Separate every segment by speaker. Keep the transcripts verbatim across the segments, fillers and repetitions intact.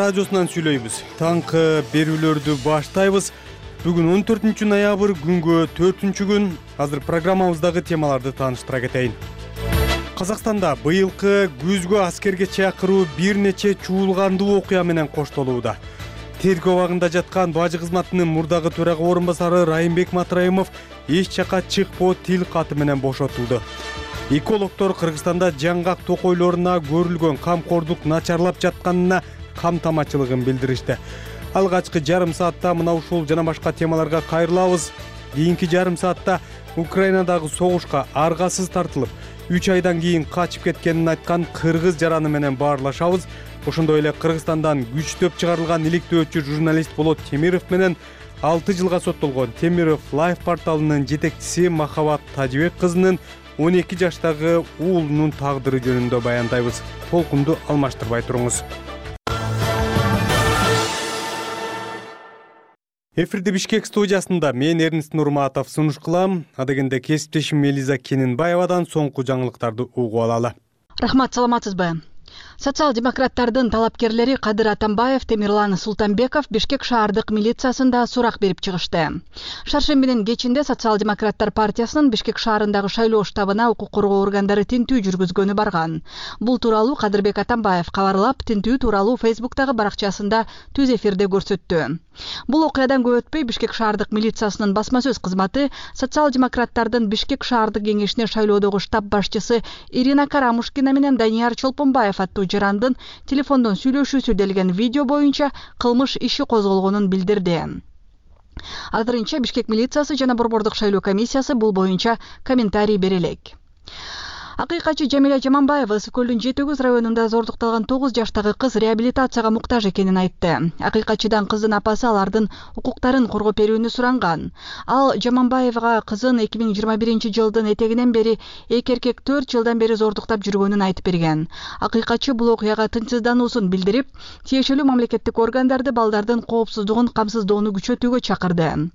Speaker 1: радиосунан сүйлөйбүз. Таңкы берүүлөрдү баштайбыз. Бүгүн он төртүнчү ноябрь, күнгө төртүнчү күн. Азыр программабыздагы темаларды тааныштыра кетейин. Казакстанда быйылкы күзгө аскерге чакыруу бир нече чуулгандуу окуя менен коштолууда. Тергөө абагында жаткан бажы кызматынын мурдагы төрага орун басары Райымбек Матраимов эч жака чыкпоо тил каты менен бошотулду. Экологдор Кыргызстанда жаңгак токойлоруна көрүлгөн камкордук начарлап жатканына камтамачылыгын билдиришти. Алгачкы жарым саатта мына ушул жана башка темаларга кайрылабыз. Кийинки жарым саатта Украинадагы согушка аргасыз тартылып, үч айдан кийин качып кеткенин айткан кыргыз жараны менен баарлашабыз. Ошондой эле Кыргызстандан күчтөп чыгарылган иликтөөчү журналист Болот Темиров менен алты жылга соттолгон Темиров Лайф порталынын жетекчиси Махабат Тажибек кызынын он эки жаштагы уулунун тагдыры жөнүндө баяндайбыз. Толкунду алмаштырбай туруңуз. Эфирди Бишкек студиясында мен Эрнест Нурматов сунуш кылам. Адегенде кесиптешим Мелиза Кененбаевадан соңку жаңылыктарды угуп алалы.
Speaker 2: Рахмат, саламатсызбы? Социал-демократтардын талапкерлери Кадыр Атамбаев, Темирлан Султанбеков Бишкек шаардык милициясында сурак берип чыгышты. Шаршембинин кечинде Социал-демократтар партиясынын Бишкек шаарындагы шайлоо штабына укук коргоо органдары тинтүү жүргүзгөнү барган. Бул тууралуу Кадырбек Атамбаев кабарлап, тинтүү тууралуу Фейсбуктагы баракчасында түз эфирде көрсөттү. Бул окуядан көп өтпөй Бишкек шаардык милициясынын басма сөз кызматы социал-демократтардын Бишкек шаардык кеңешине шайлоодогу штаб башчысы Ирина Карамушкина менен Данияр Чолпонбаев аттуу жарандын телефондон сүйлөшүүсү делген видео боюнча кылмыш иши козголгонун билдирди. Азырынча Бишкек милициясы жана Борбордук шайлоо комиссиясы бул боюнча комментарий бере элек. Акыйкатчы Жамиля Жаманбаева Ысык көлдүн жети өгүз районунда зордукталган тогуз жаштагы кыз реабилитацияга муктаж экенин айтты. Акыйкатчыдан кыздын апасы алардын укуктарын коргоп берүүнү суранган. Ал Жаманбаевга кызын эки миң жыйырма биринчи жылдын этегинен бери эки эркек төрт жылдан бери зордуктап жүргөнүн айтып берген. Акыйкатчы бул окуяга тынчсыздануусун билдирип, тиешелүү мамлекеттик органдарды балдардын коопсуздугун камсыздоону күчөтүүгө чакырды.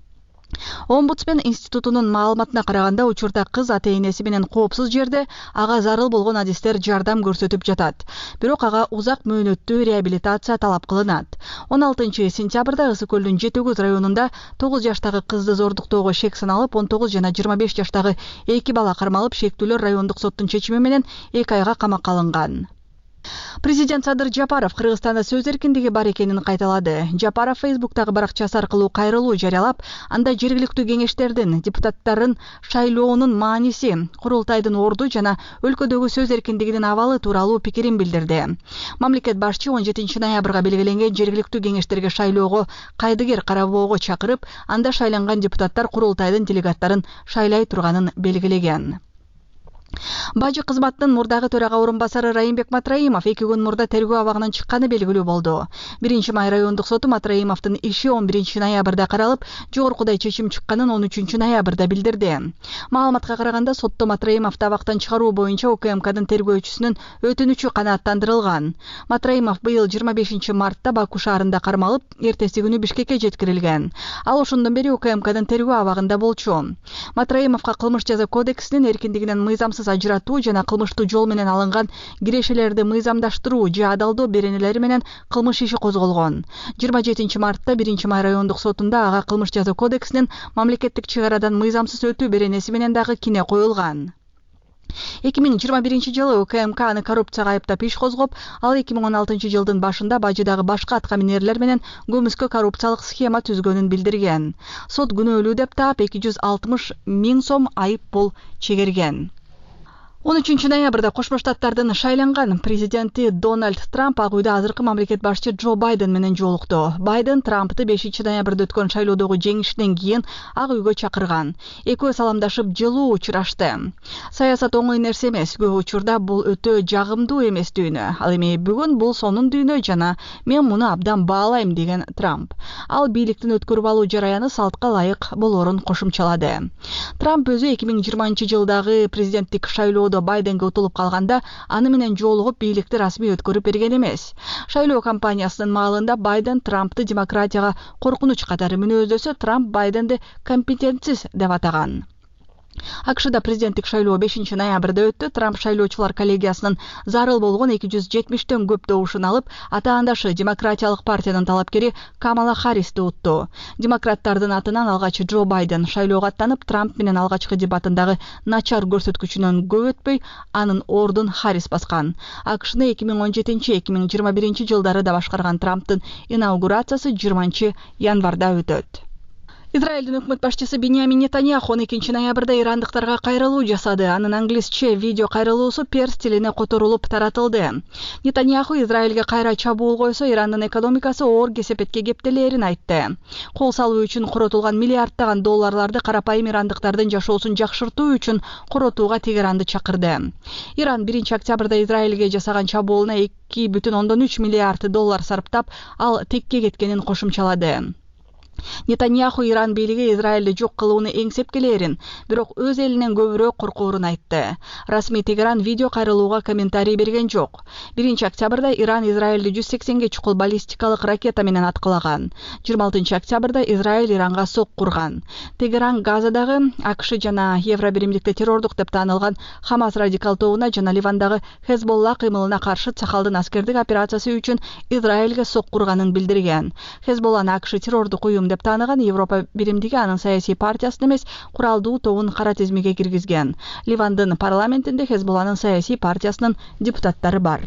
Speaker 2: Омбудсмен институтунун маалыматына караганда, учурда кыз ата-энеси менен коопсуз жерде ага зарыл болгон адистер жардам көрсөтүп жатат. Бирок ага узак мөөнөттүү реабилитация талап кылынат. он алтынчы сентябрда Ысык көлдүн жети өгүз районунда тогуз жаштагы кызды зордуктоого шек саналып, он тогуз жана жыйырма беш жаштагы эки бала кармалып, шектүүлөр райондук соттун чечими менен эки айга камакка алынган. Президент Садыр Жапаров Кыргызстанда сөз эркиндиги бар экенин кайталады. Жапаров Фейсбуктагы баракчасы аркылуу кайрылуу жарыялап, анда жергиликтүү кеңештердин, депутаттардын шайлоонун мааниси, курултайдын орду жана өлкөдөгү сөз эркиндигинин абалы тууралуу пикирин билдирди. Мамлекет башчы он жетинчи ноябрга белгиленген жергиликтүү кеңештерге шайлоого кайдыгер карабоого чакырып, анда шайланган депутаттар курултайдын делегаттарын шайлай турганын белгилеген. Бажы кызматынын мурдагы төрага орун басары Райымбек Матраимов эки күн мурда тергөө абагынан чыкканы белгилүү болду. биринчи май райондук соту Матраимовдун иши он биринчи ноябрда каралып, жогоркудай чечим чыкканын он үчүнчү ноябрда билдирди. Маалыматка караганда, сотто Матраимовду абактан чыгаруу боюнча УКМКдын тергөөчүсүнүн өтүнүчү канааттандырылган. Матраимов быйыл жыйырма бешинчи мартта Баку шаарында кармалып, эртеси күнү Бишкекке жеткирилген. Ал ошондон бери УКМКдын тергөө абагында болчу. Матраимовго кылмыш жаза кодексинин эркиндигинен мыйзамсыз ажыратуу жана кылмыштуу жол менен алынган кирешелерди мыйзамдаштыруу же адалдоо беренелери менен кылмыш иши козголгон. жыйырма жетинчи мартта биринчи май райондук сотунда ага кылмыш жаза кодексинин мамлекеттик чыгарадан мыйзамсыз өтүү беренеси менен дагы кине коюлган. эки миң жыйырма биринчи жылы УКМК аны коррупцияга айыптап иш козгоп, ал эки миң он алтынчы жылдын башында Бажыдагы башка аткаминерлер менен көмүскө коррупциялык схема түзгөнүн билдирген. Сот күнөөлүү деп таап эки жүз алтымыш миң сом айып пул чегерген. он үчүнчү ноябрда Кошмо Штаттардын шайланган президенти Дональд Трамп Ак үйдө азыркы мамлекет башчы Джо Байден менен жолукту. Байден Трампты бешинчи ноябрда өткөн шайлоодогу жеңишинен кийин Ак үйгө чакырган. Экөө саламдашып жылуу учурашты. Саясат оңой нерсе эмес, көп учурда бул өтө жагымдуу эмес дүйнө. Ал эми бүгүн бул сонун дүйнө жана мен муну абдан баалайм деген Трамп. Ал бийликтин өткөрүп алуу жараяны салтка ылайык болорун кошумчалады. Трамп өзү эки миң жыйырманчы жылдагы президенттик шайлоодо Байденге утулуп калганда, аны менен жолугуп бийликти расмий өткөрүп берген эмес. Шайлоо кампаниясынын маалында Байден Трампты демократияга коркунуч катары мүнөздөсө, Трамп Байденди компетентсиз деп атаган. АКШда президенттик шайлоо бешинчи ноябрда өттү. Трамп шайлоочулар коллегиясынын зарыл болгон эки жүз жетимиштен көп добушун алып, атаандашы Демократиялык партиянын талапкери Камала Харристи утту. Демократтардын атынан алгач Джо Байден шайлоого аттанып, Трамп менен алгачкы дебатындагы начар көрсөткүчүнөн көп өтпөй, анын ордун Харрис баскан. АКШны эки миң он жетинчи — эки миң жыйырма биринчи жылдары да башкарган Трамптын инаугурациясы жыйырманчы январда өтөт. Израилдин өкмөт башчысы Биньямин Нетаньяху он экинчи ноябрда ирандыктарга кайрылуу жасады. Анын англисче видео кайрылуусу перс тилине которулуп таратылды. Нетаньяху Израилге кайра чабуул койсо, Ирандын экономикасы оор кесепетке кептелээрин айтты. Кол салуу үчүн коротулган миллиарддаган долларларды карапайым ирандыктардын жашоосун жакшыртуу үчүн коротууга Тегеранды чакырды. Иран биринчи октябрда Израилге жасаган чабуулуна эки бүтүн ондон үч миллиард доллар сарптап, ал текке кеткенин кошумчалады. Нетаньяху Иран бийлиги Израилди жок кылууну эңсеп келерин, бирок өз элинен көбүрөөк коркоорун айтты. Расмий Тегеран видео кайрылууга комментарий берген жок. биринчи октябрда Иран Израилди жүз сексенге чукул баллистикалык ракета менен аткылаган. жыйырма алтынчы октябрда Израиль Иранга сок курган. Тегеран Газадагы АКШ жана Евро биримдикте террордук деп таанылган Хамас радикал тобуна жана Ливандагы Хезболла кыймылына каршы Цахалдын аскердик операциясы үчүн Израилге сок курганын билдирген. Хезболланы АКШ террордук уюм деп тааныган Европа биримдиги анын саясий партиясын эмес, куралдуу тобун кара тизмеге киргизген. Ливандын парламентинде Хезболланын саясий партиясынын депутаттары бар.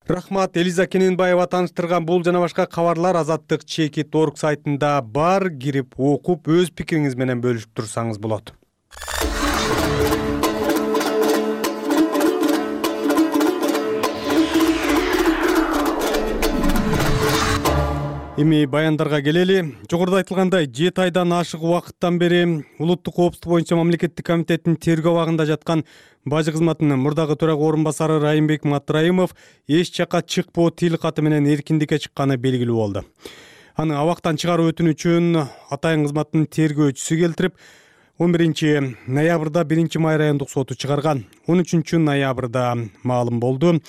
Speaker 1: Рахмат, Элиза Кененбаева тааныштырган бул жана башка кабарлар Азаттык чекит точка орг сайтында бар. Кирип окуп, өз пикириңиз менен бөлүшүп турсаңыз болот. Эми баяндарга келели. Жогоруда айтылгандай, жети айдан ашык убакыттан бери улуттук коопсуздук боюнча мамлекеттик комитеттин тергөө абагында жаткан бажы кызматынын мурдагы төрага орун басары Райымбек Матраимов эч жакка чыкпоо тил каты менен эркиндикке чыкканы белгилүү болду. Аны абактан чыгаруу өтүнүчүн атайын кызматтын тергөөчүсү келтирип, он биринчи ноябрда биринчи май райондук соту чыгарган. он үчүнчү ноябрда маалым болду.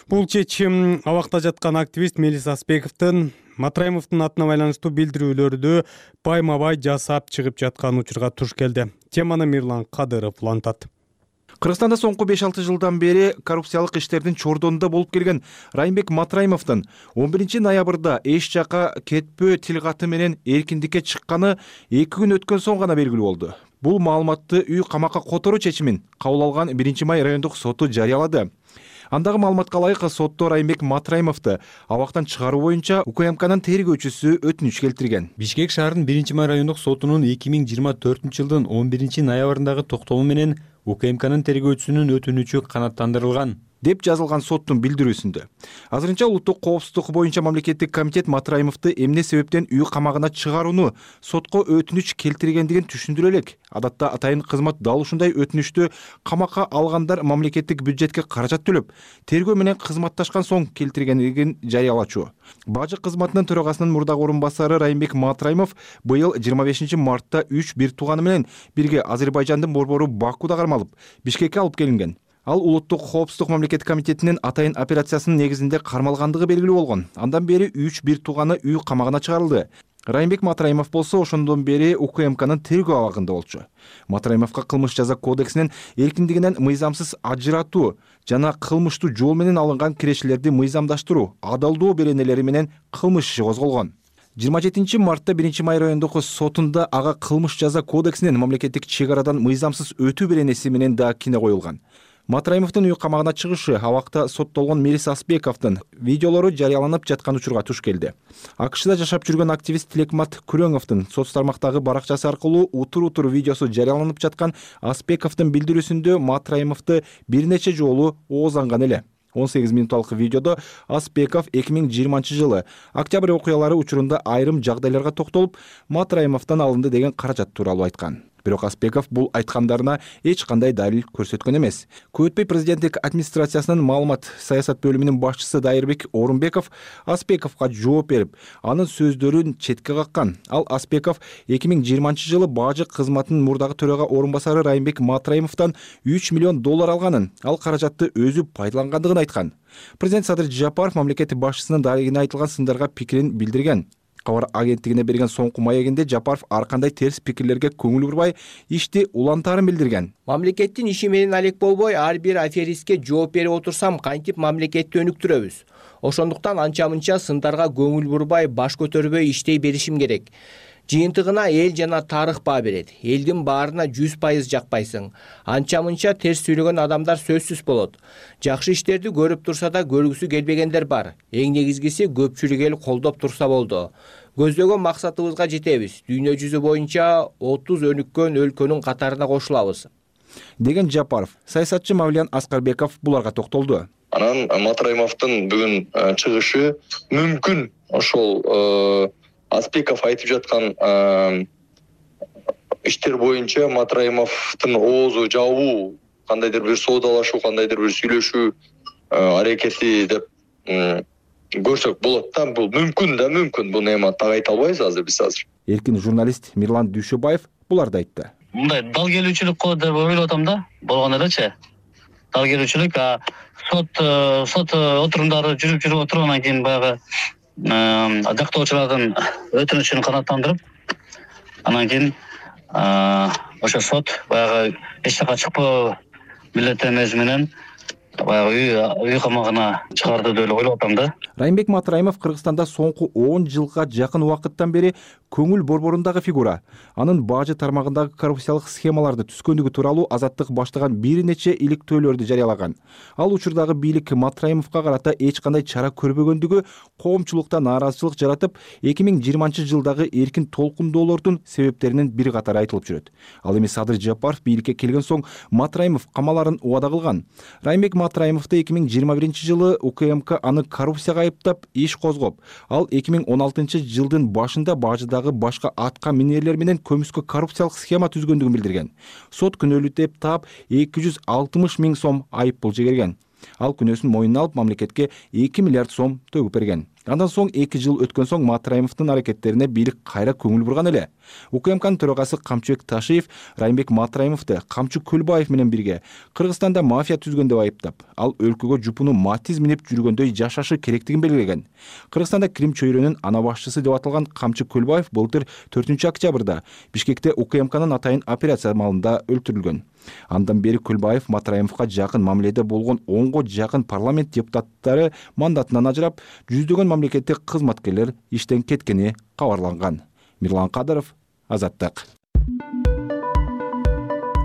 Speaker 1: Бул чечим абакта жаткан активист Мелис Аспековдун Матраимовдун атына байланыштуу билдирүүлөрдү байма-бай жасап чыгып жаткан учурга туш келди. Теманы Мирлан Кадыров улантат.
Speaker 3: Кыргызстанда соңку беш алты жылдан бери коррупциялык иштердин чордонунда болуп келген Райымбек Матраимовдун он биринчи ноябрда эч жакка кетпөө тил каты менен эркиндикке чыкканы эки күн өткөн соң гана белгилүү болду. Бул маалыматты үй камакка которуу чечимин кабыл алган биринчи май райондук соту жарыялады. Андагы маалыматка ылайык сотто Райымбек Матраимовду абактан чыгаруу боюнча УКМКнын тергөөчүсү өтүнүч келтирген.
Speaker 4: Бишкек шаарынын биринчи май райондук сотунун эки миң жыйырма төртүнчү жылдын он биринчи ноябрындагы токтому менен УКМКнын тергөөчүсүнүн өтүнүчү канааттандырылган
Speaker 3: деп жазылган соттун билдирүүсүндө. Азырынча улуттук коопсуздук боюнча мамлекеттик комитет Матраимовду эмне себептен үй камагына чыгарууну сотко өтүнүч келтиргендигин түшүндүрө элек. Адатта атайын кызмат дал ушундай өтүнүчтү камакка алгандар мамлекеттик бюджетке каражат төлөп, тергөө менен кызматташкан соң келтиргендигин жарыялачу. Бажы кызматынын төрагасынын мурдагы орун басары Райымбек Матраимов быйыл жыйырма бешинчи мартта үч бир тууганы менен бирге Азербайжандын борбору Бакуда кармалып, Бишкекке алып келинген. Ал улуттук коопсуздук мамлекеттик комитетинин атайын операциясынын негизинде кармалгандыгы белгилүү болгон. Андан бери үч бир тууганы үй камагына чыгарылды. Райымбек Матраимов болсо ошондон бери УКМКнын тергөө абагында болчу. Матраимовго кылмыш жаза кодексинин эркиндигинен мыйзамсыз ажыратуу жана кылмыштуу жол менен алынган кирешелерди мыйзамдаштыруу, адалдоо беренелери менен кылмыш иши козголгон. жыйырма жетинчи мартта биринчи май райондук сотунда ага кылмыш жаза кодексинин мамлекеттик чек арадан мыйзамсыз өтүү беренеси менен да кине коюлган. Матраимовдун үй камагына чыгышы абакта соттолгон Мелис Аспековдун видеолору жарыяланып жаткан учурга туш келди. АКШда жашап жүргөн активист Тилекмат Күрөңовдун соц тармактагы баракчасы аркылуу утур-утур видеосу жарыяланып жаткан Аспековдун билдирүүсүндө Матраимовду бир нече жолу оозанган эле. он сегиз минутталык видеодо Аспеков эки миң жыйырманчы жылы октябрь окуялары учурунда айрым жагдайларга токтолуп, Матраимовдон алынды деген каражат тууралуу айткан. Бирок Аспеков бул айткандарына эч кандай далил көрсөткөн эмес. Көп өтпөй президенттик администрациясынын маалымат саясат бөлүмүнүн башчысы Дайырбек Орунбеков Аспековго жооп берип, анын сөздөрүн четке каккан. Ал Аспеков эки миң жыйырманчы жылы бажы кызматынын мурдагы төрага орун басары Райымбек Матраимовдон үч миллион доллар алганын, ал каражатты өзү пайдалангандыгын айткан. Президент Садыр Жапаров мамлекет башчысынын дарегине айтылган сындарга пикирин билдирген. кабар агенттигине берген соңку маегинде Жапаров ар кандай терс пикирлерге көңүл бурбай, ишти улантаарын билдирген.
Speaker 5: Мамлекеттин иши менен алек болбой, ар бир аферистке жооп берип отурсам, кантип мамлекетти өнүктүрөбүз? Ошондуктан анча-мынча сындарга көңүл бурбай, баш көтөрбөй иштей беришим керек. Жыйынтыгына эл жана тарых баа берет. Элдин баарына жүз пайыз жакпайсың. Анча-мынча терс сүйлөгөн адамдар сөзсүз болот. Жакшы иштерди көрүп турса да көргүсү келбегендер бар. Эң негизгиси көпчүлүк эл колдоп турса болду. Көздөгөн максатыбызга жетебиз. Дүйнө жүзү боюнча отуз өнүккөн өлкөнүн катарына кошулабыз,
Speaker 3: деген Жапаров. Саясатчы Мавлиян Аскарбеков буларга токтолду.
Speaker 6: Анан Матраимовдун бүгүн чыгышы мүмкүн ошол Аспеков айтып жаткан иштер боюнча Матраимовдун оозу жабуу, кандайдыр бир соодалашуу, кандайдыр бир сүйлөшүү аракети деп көрсөк болот да. Бул мүмкүн да мүмкүн. Буну эми так айта албайбыз азыр биз азыр.
Speaker 3: Эркин журналист Мирлан Дүйшөбаев буларды айтты.
Speaker 7: Мындай дал келүүчүлүк болот деп ойлоп атам да. Болгон элечи. Дал келүүчүлүк, а сот сот отурумдары жүрүп жүрүп отургандан кийин баягы жактоочулардын өтүнүчүн канааттандырып, анан кийин ошо сот баягы эч жака чыкпоо милдеттенмеси менен баягы үй камагына чыгарды деп ойлоп атам да.
Speaker 3: Райымбек Матраимов Кыргызстанда соңку он жылга жакын убакыттан бери көңүл борборундагы фигура. Анын бажы тармагындагы коррупциялык схемаларды түзгөндүгү тууралуу Азаттык баштаган бир нече иликтөөлөрдү жарыялаган. Ал учурдагы бийлик Матраимовго карата эч кандай чара көрбөгөндүгү коомчулукта нааразычылык жаратып, эки миң жыйырманчы жылдагы эркин толкундоолордун себептеринин бир катары айтылып жүрөт. Ал эми Садыр Жапаров бийликке келген соң Матраимов камаларын убада кылган. Райымбек Матраимовду эки миң жыйырма биринчи жылы УКМК аны коррупцияга айыптап иш козгоп, ал эки миң он алтынчы жылдын башында бажыдагы башка атка минерлер менен көмүскө коррупциялык схема түзгөндүгүн билдирген. Сот күнөөлүү деп таап эки жүз алтымыш миң сом айыппул жегерген. Ал күнөөсүн мойнуна алып мамлекетке эки миллиард сом төгүп берген. Андан соң эки жыл өткөн соң Матраимовдун аракеттерине бийлик кайра көңүл бурган эле. УКМКнын төрагасы Камчыбек Ташиев Райымбек Матраимовду Камчы Көлбаев менен бирге Кыргызстанда мафия түзгөн деп айыптап, ал өлкөгө жупуну Матиз минип жүргөндөй жашашы керектигин белгилеген. Кыргызстанда Крим чөйрөнүн ана башчысы деп аталган Камчы Көлбаев былтыр төртүнчү октябрда Бишкекте УКМКнын атайын операция маалында өлтүрүлгөн. Андан бери Көлбаев Матраимовго жакын мамиледе болгон онго жакын парламент депутаттары мандатынан ажырап, жүздөгөн мамлекеттик кызматкерлер иштен кеткени кабарланган. Мирлан Кадыров, Азаттык.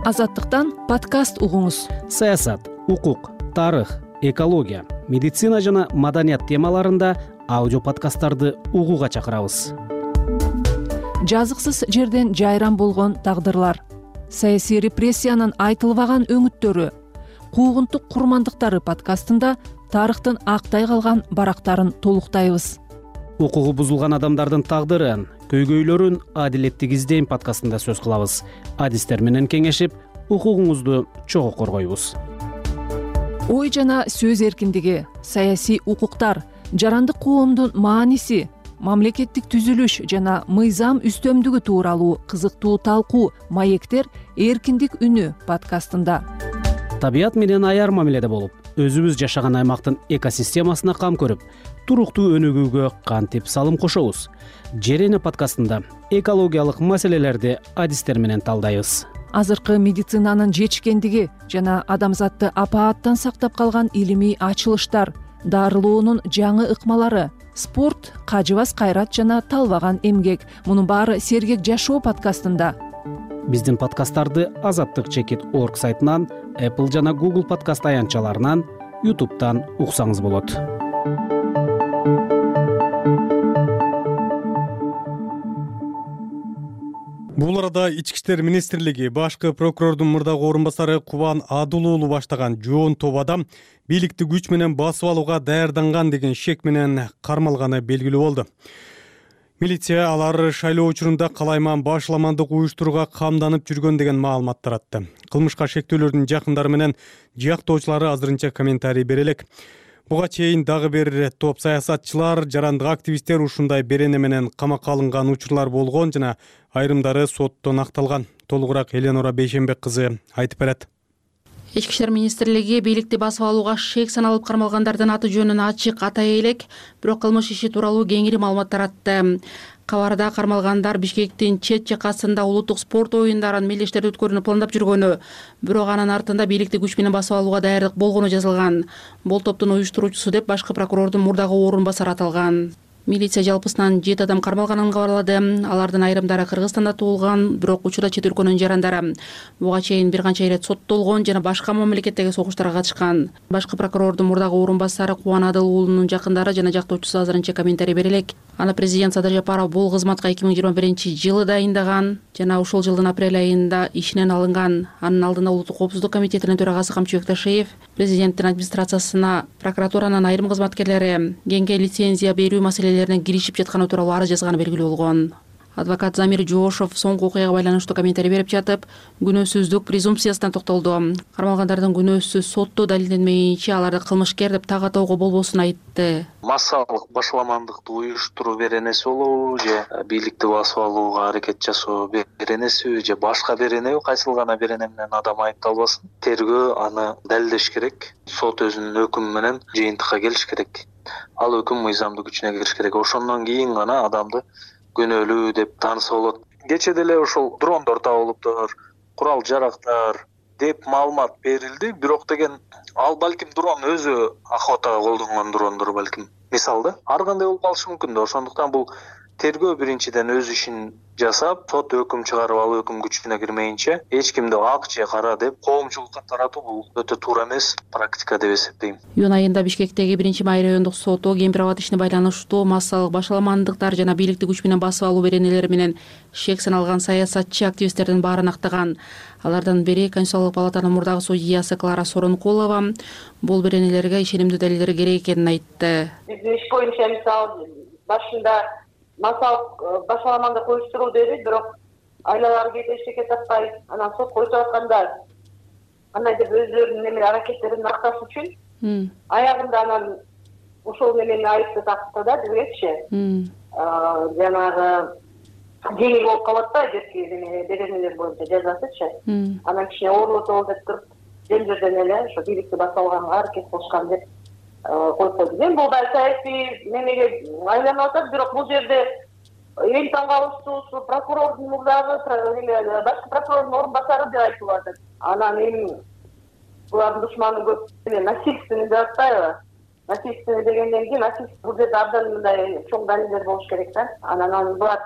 Speaker 8: Азаттыктан подкаст угуңуз.
Speaker 9: Саясат, укук, тарых, экология, медицина жана маданият темаларында аудио подкасттарды угууга чакырабыз.
Speaker 8: Жазыксыз жерден жайран болгон тагдырлар, саясий репрессиянын айтылбаган өңүттөрү, куугунтук курмандыктары подкастында тарыхтын актай калган барактарын толуктайбыз.
Speaker 9: Укугу бузулган адамдардын тагдырын, көйгөйлөрүн адилеттик издейм подкастында сөз кылабыз. Адистер менен кеңешип, укугуңузду чогуу коргойбуз.
Speaker 8: Ой жана сөз эркиндиги, саясий укуктар, жарандык коомдун мааниси, мамлекеттик түзүлүш жана мыйзам үстөмдүгү тууралуу кызыктуу талкуу маектер эркиндик үнү подкастында.
Speaker 9: Табият менен аяр мамиледе болуп, өзүбүз жашаган аймактын экосистемасына кам көрүп, туруктуу өнүгүүгө кантип салым кошобуз? Жер эне подкастында экологиялык маселелерди адистер менен талдайбыз.
Speaker 8: Азыркы медицинанын жетишкендиги жана адамзатты апааттан сактап калган илимий ачылыштар, дарылоонун жаңы ыкмалары, спорт, кажыбас кайрат жана талбаган эмгек. Мунун баары Сергек жашоо подкастында.
Speaker 9: Биздин подкасттарды Азаттык чекит точка орг сайтынан, Apple жана Google подкаст аянтчаларынан, YouTube'дан уксаңыз болот.
Speaker 1: Бул арада Ички иштер министрлиги башкы прокурордун мурдагы орун басары Кубан Адыл уулу баштаган жоон топ адам бийликти күч менен басып алууга даярданган деген шек менен кармалганы белгилүү болду. Милиция алар шайлоо учурунда калайман башламандык уюштурууга камданып жүргөн деген маалымат таратты. Кылмышка шектүүлөрдүн жакындары менен жыяктоочулары азырынча комментарий бере элек. Буга чейин дагы бир топ саясатчылар, жарандык активисттер ушундай берене менен камакка алынган учурлар болгон жана айрымдары соттон акталган. Толугураак Эленора Бейшенбек кызы айтып берет.
Speaker 10: Ички иштер министрлиги бийликти басып алууга шек саналып кармалгандардын аты жөнүн ачык атай элек, бирок кылмыш иши тууралуу кеңири маалымат таратты. Кабарда кармалгандар Бишкектин чет жакасында улуттук спорт оюндарын мелдештерде өткөрүүнү пландап жүргөнү, бирок анын артында бийликти күч менен басып алууга даярдык болгону жазылган. Бул топтун уюштуруучусу деп башкы прокурордун мурдагы орун басары аталган. Милиция жалпысынан жети адам кармалганын кабарлады. Алардын айрымдары Кыргызстанда туулган, бирок учурда чет өлкөнүн жарандары. Буга чейин бир канча ирет соттолгон жана башка мамлекеттеги согуштарга катышкан. Башкы прокурордун мурдагы орун басары Кубан Адыл уулунун жакындары жана жактоочусу азырынча комментарий бере элек. Аны президент Садыр Жапаров бул кызматка эки миң жыйырма биринчи жылы дайындаган жана ушул жылдын апрель айында ишинен алынган. Анын алдында Улуттук коопсуздук комитетинин төрагасы Камчыбек Ташиев президенттин администрациясына прокуратуранын айрым кызматкерлери кеңге лицензия берүү маселелерине киришип жатканы тууралуу арыз жазганы белгилүү болгон. Адвокат Замир Жоошов соңку окуяга байланыштуу комментарий берип жатып, күнөөсүздүк презумпциясына токтолду. Кармалгандардын күнөөсү сотто далилденмейинче аларды кылмышкер деп так атоого болбосун айтты.
Speaker 11: Массалык башаламандыкты уюштуруу беренеси болобу же бийликти басып алууга аракет жасоо беренеси же башка беренеби, кайсыл гана берене менен адам айыпталбасын. Тергөө аны далилдеш керек. Сот өзүнүн өкүмү менен жыйынтыкка келиш керек. Ал өкүм мыйзамдуу күчүнө кириш керек. Ошондон кийин гана адамды күнөөлүү деп тааныса болот. Кече деле ошол дрондор табылыптыр, курал жарактар деп маалымат берилди, бирок деген ал балким дрон өзү охотага колдонгон дрондор балким. Мисалда, ар кандай болуп калышы мүмкүн да. Ошондуктан бул тергөө биринчиден өз ишин жасап, сот өкүм чыгарып, ал өкүм күчүнө кирмейинче эч кимди ак же кара деп коомчулукка таратуу бул өтө туура эмес практика деп эсептейм.
Speaker 10: Июнь айында Бишкектеги биринчи май райондук соту Кемпир-Абад ишине байланыштуу массалык башаламандыктар жана бийликти күч менен басып алуу беренелери менен шек саналган саясатчы активисттердин баарын актаган. Алардын бири Конституциялык палатанын мурдагы судьясы Клара Сооронкулова бул беренелерге ишенимдүү далилдер керек экенин айтты.
Speaker 12: Биздин иш боюнча мисалы башында массалык башаламандык уюштуруу деди, бирок айлалары кетип эчтеке таппай, анан сотко өтүп атканда кандайдыр өздөрүнүн неме аракеттерин акташ үчүн аягында анан ошол немени айыпты такты да бизгечи. Жанагы жеңил болуп калат да жерки беренелер боюнча жазасычы. Анан кичине оорлотолу деп туруп жөн жерден эле ошо бийликти басып алганга аракет кылышкан деп коюп койду. Мен бул да саясий немеге айланып атат, бирок бул жерде эң таң калыштуусу прокурордун мурдагы башкы прокурордун орун басары деп айтылып атат. Анан эми булардын душманы көп насильственный деп атпайбы? Насильственный дегенден кийин насильство бул жерде абдан мындай чоң далилдер болуш керек да. Анан анын булар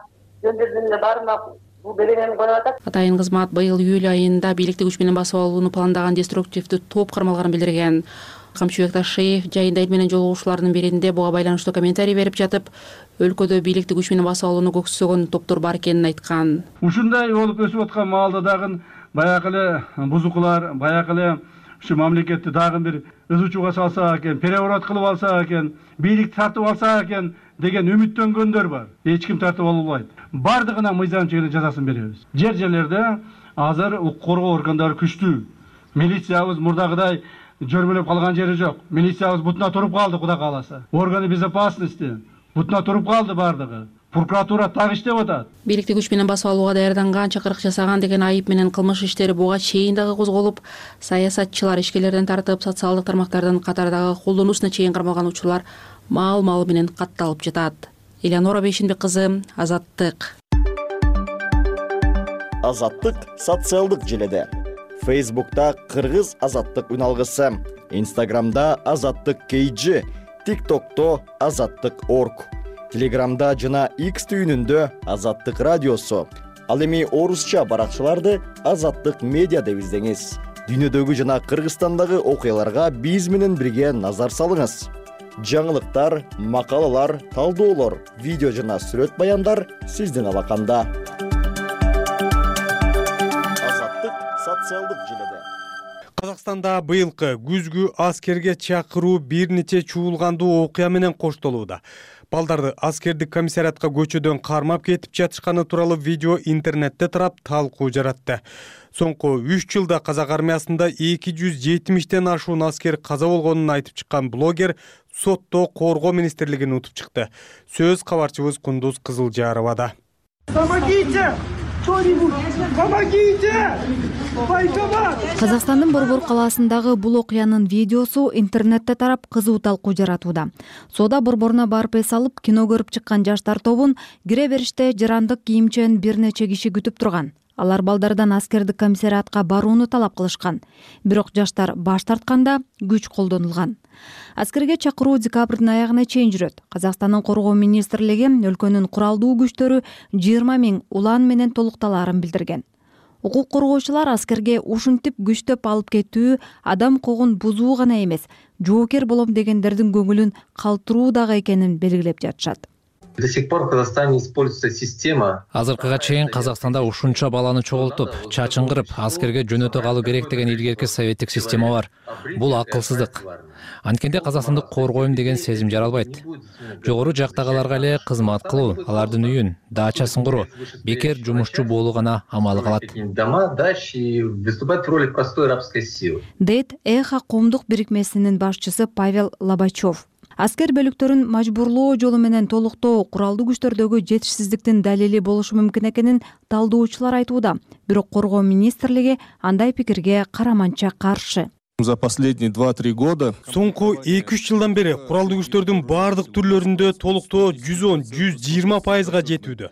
Speaker 12: жөн жерден эле баарына бул беренени коюп атат.
Speaker 10: Атайын кызмат быйыл июль айында бийликти күч менен басып алууну пландаган деструктивдүү топ кармалганын билдирген. Камчыбек Ташиев жайында эл менен жолугушуулардын биринде буга байланыштуу комментарий берип жатып, өлкөдө бийликти күч менен басып алууну көксөгөн топтор бар экенин айткан.
Speaker 13: Ушундай болуп өсүп аткан маалда дагы баягы эле бузукулар, баягы эле ушу мамлекетти дагы бир ызычууга салса экен, переворот кылып алса экен, бийликти тартып алса экен деген үмүттөнгөндөр бар. Эч ким тартып албайт. Бардыгына мыйзам чегинде жазасын беребиз. Жер-жерлерде азыр укук коргоо органдары күчтүү. Милициябыз мурдагыдай жөрмөлөп калган жери жок. Милициябыз бутуна туруп калды, Кудай кааласа. Органы безопасности бутуна туруп калды бардыгы. Прокуратура так иштеп атат.
Speaker 10: Бийликти күч менен басып алууга даярданган, чакырык жасаган деген айып менен кылмыш иштери буга чейин дагы козголуп, саясатчылар ишкерлерден тартып, социалдык тармактардын катардагы колдонуусуна чейин кармалган учурлар маал-маалы менен катталып жатат. Элеонора Бейшенбек кызы, Азаттык.
Speaker 14: Азаттык социалдык желеде. Фейсбукта Кыргыз Азаттык үналгысы, Инстаграмда Азаттык кей джи, ТикТокто Азаттык орг, Телеграмда жана X түйүнүндө Азаттык радиосу. Ал эми орусча баракчаларды Азаттык медиа деп издеңиз. Дүйнөдөгү жана Кыргызстандагы окуяларга биз менен бирге назар салыңыз. Жаңылыктар, макалалар, талдоолор, видео жана сүрөт баяндар сиздин алаканда. Азаттык социалдык желеде.
Speaker 1: Казакстанда быйылкы күзгү аскерге чакыруу бир нече чуулгандуу окуя менен коштолууда. Балдарды аскердик комиссариатка көчөдөн кармап кетип жатышканы тууралуу видео интернетте тарап талкуу жаратты. Соңку үч жылда казак армиясында эки жүз жетимиштен ашуун аскер каза болгонун айтып чыккан блогер сотто коргоо министрлигин утуп чыкты. Сөз кабарчыбыз Кундуз Кызылжаровада.
Speaker 15: Помогите! Казакстандын Борбор калаасындагы бул окуянын видеосу интернетте тарап кызуу талкуу жаратууда. Соода борборуна барып эс алып, кино көрүп чыккан жаштар тобун кире бериште жарандык кийимчен бир нече киши күтүп турган. Алар балдардан аскердик комиссариатка барууну талап кылышкан. Бирок жаштар баш тартканда күч колдонулган. Аскерге чакыруу декабрдын аягына чейин жүрөт. Казакстандын коргоо министрлиги өлкөнүн куралдуу күчтөрү жыйырма миң улан менен толукталаарын билдирген. Укук коргоочулар аскерге ушинтип күчтөп алып кетүү адам укугун бузуу гана эмес, жоокер болом дегендердин көңүлүн калтыруу дагы экенин белгилеп жатышат.
Speaker 16: До сих пор в Казахстане используется система.
Speaker 17: Азыркыга чейин Казакстанда ушунча баланы чогултуп, чачын кырып, аскерге жөнөтө калуу керек деген илгерки советтик система бар. Бул акылсыздык. Анткенде Казакстанды коргойм деген сезим жаралбайт. Жогору жактагыларга эле кызмат кылуу, алардын үйүн, дачасын куруу, бекер жумушчу болуу гана амалы калат.
Speaker 16: Дома, дачи, выступать в роли простой рабской силы.
Speaker 15: Дейт Эхо коомдук бирикмесинин башчысы Павел Лобачев. Аскер бөлүктөрүн мажбурлоо жолу менен толуктоо куралдуу күчтөрдөгү жетишсиздиктин далили болушу мүмкүн экенин талдоочулар айтууда. Бирок коргоо министрлиги андай пикирге караманча каршы.
Speaker 18: За последние два-три года
Speaker 1: соңку эки үч жылдан бери куралдуу күчтөрдүн баардык түрлөрүндө толуктоо жүз он жүз жыйырма пайызга жетүүдө.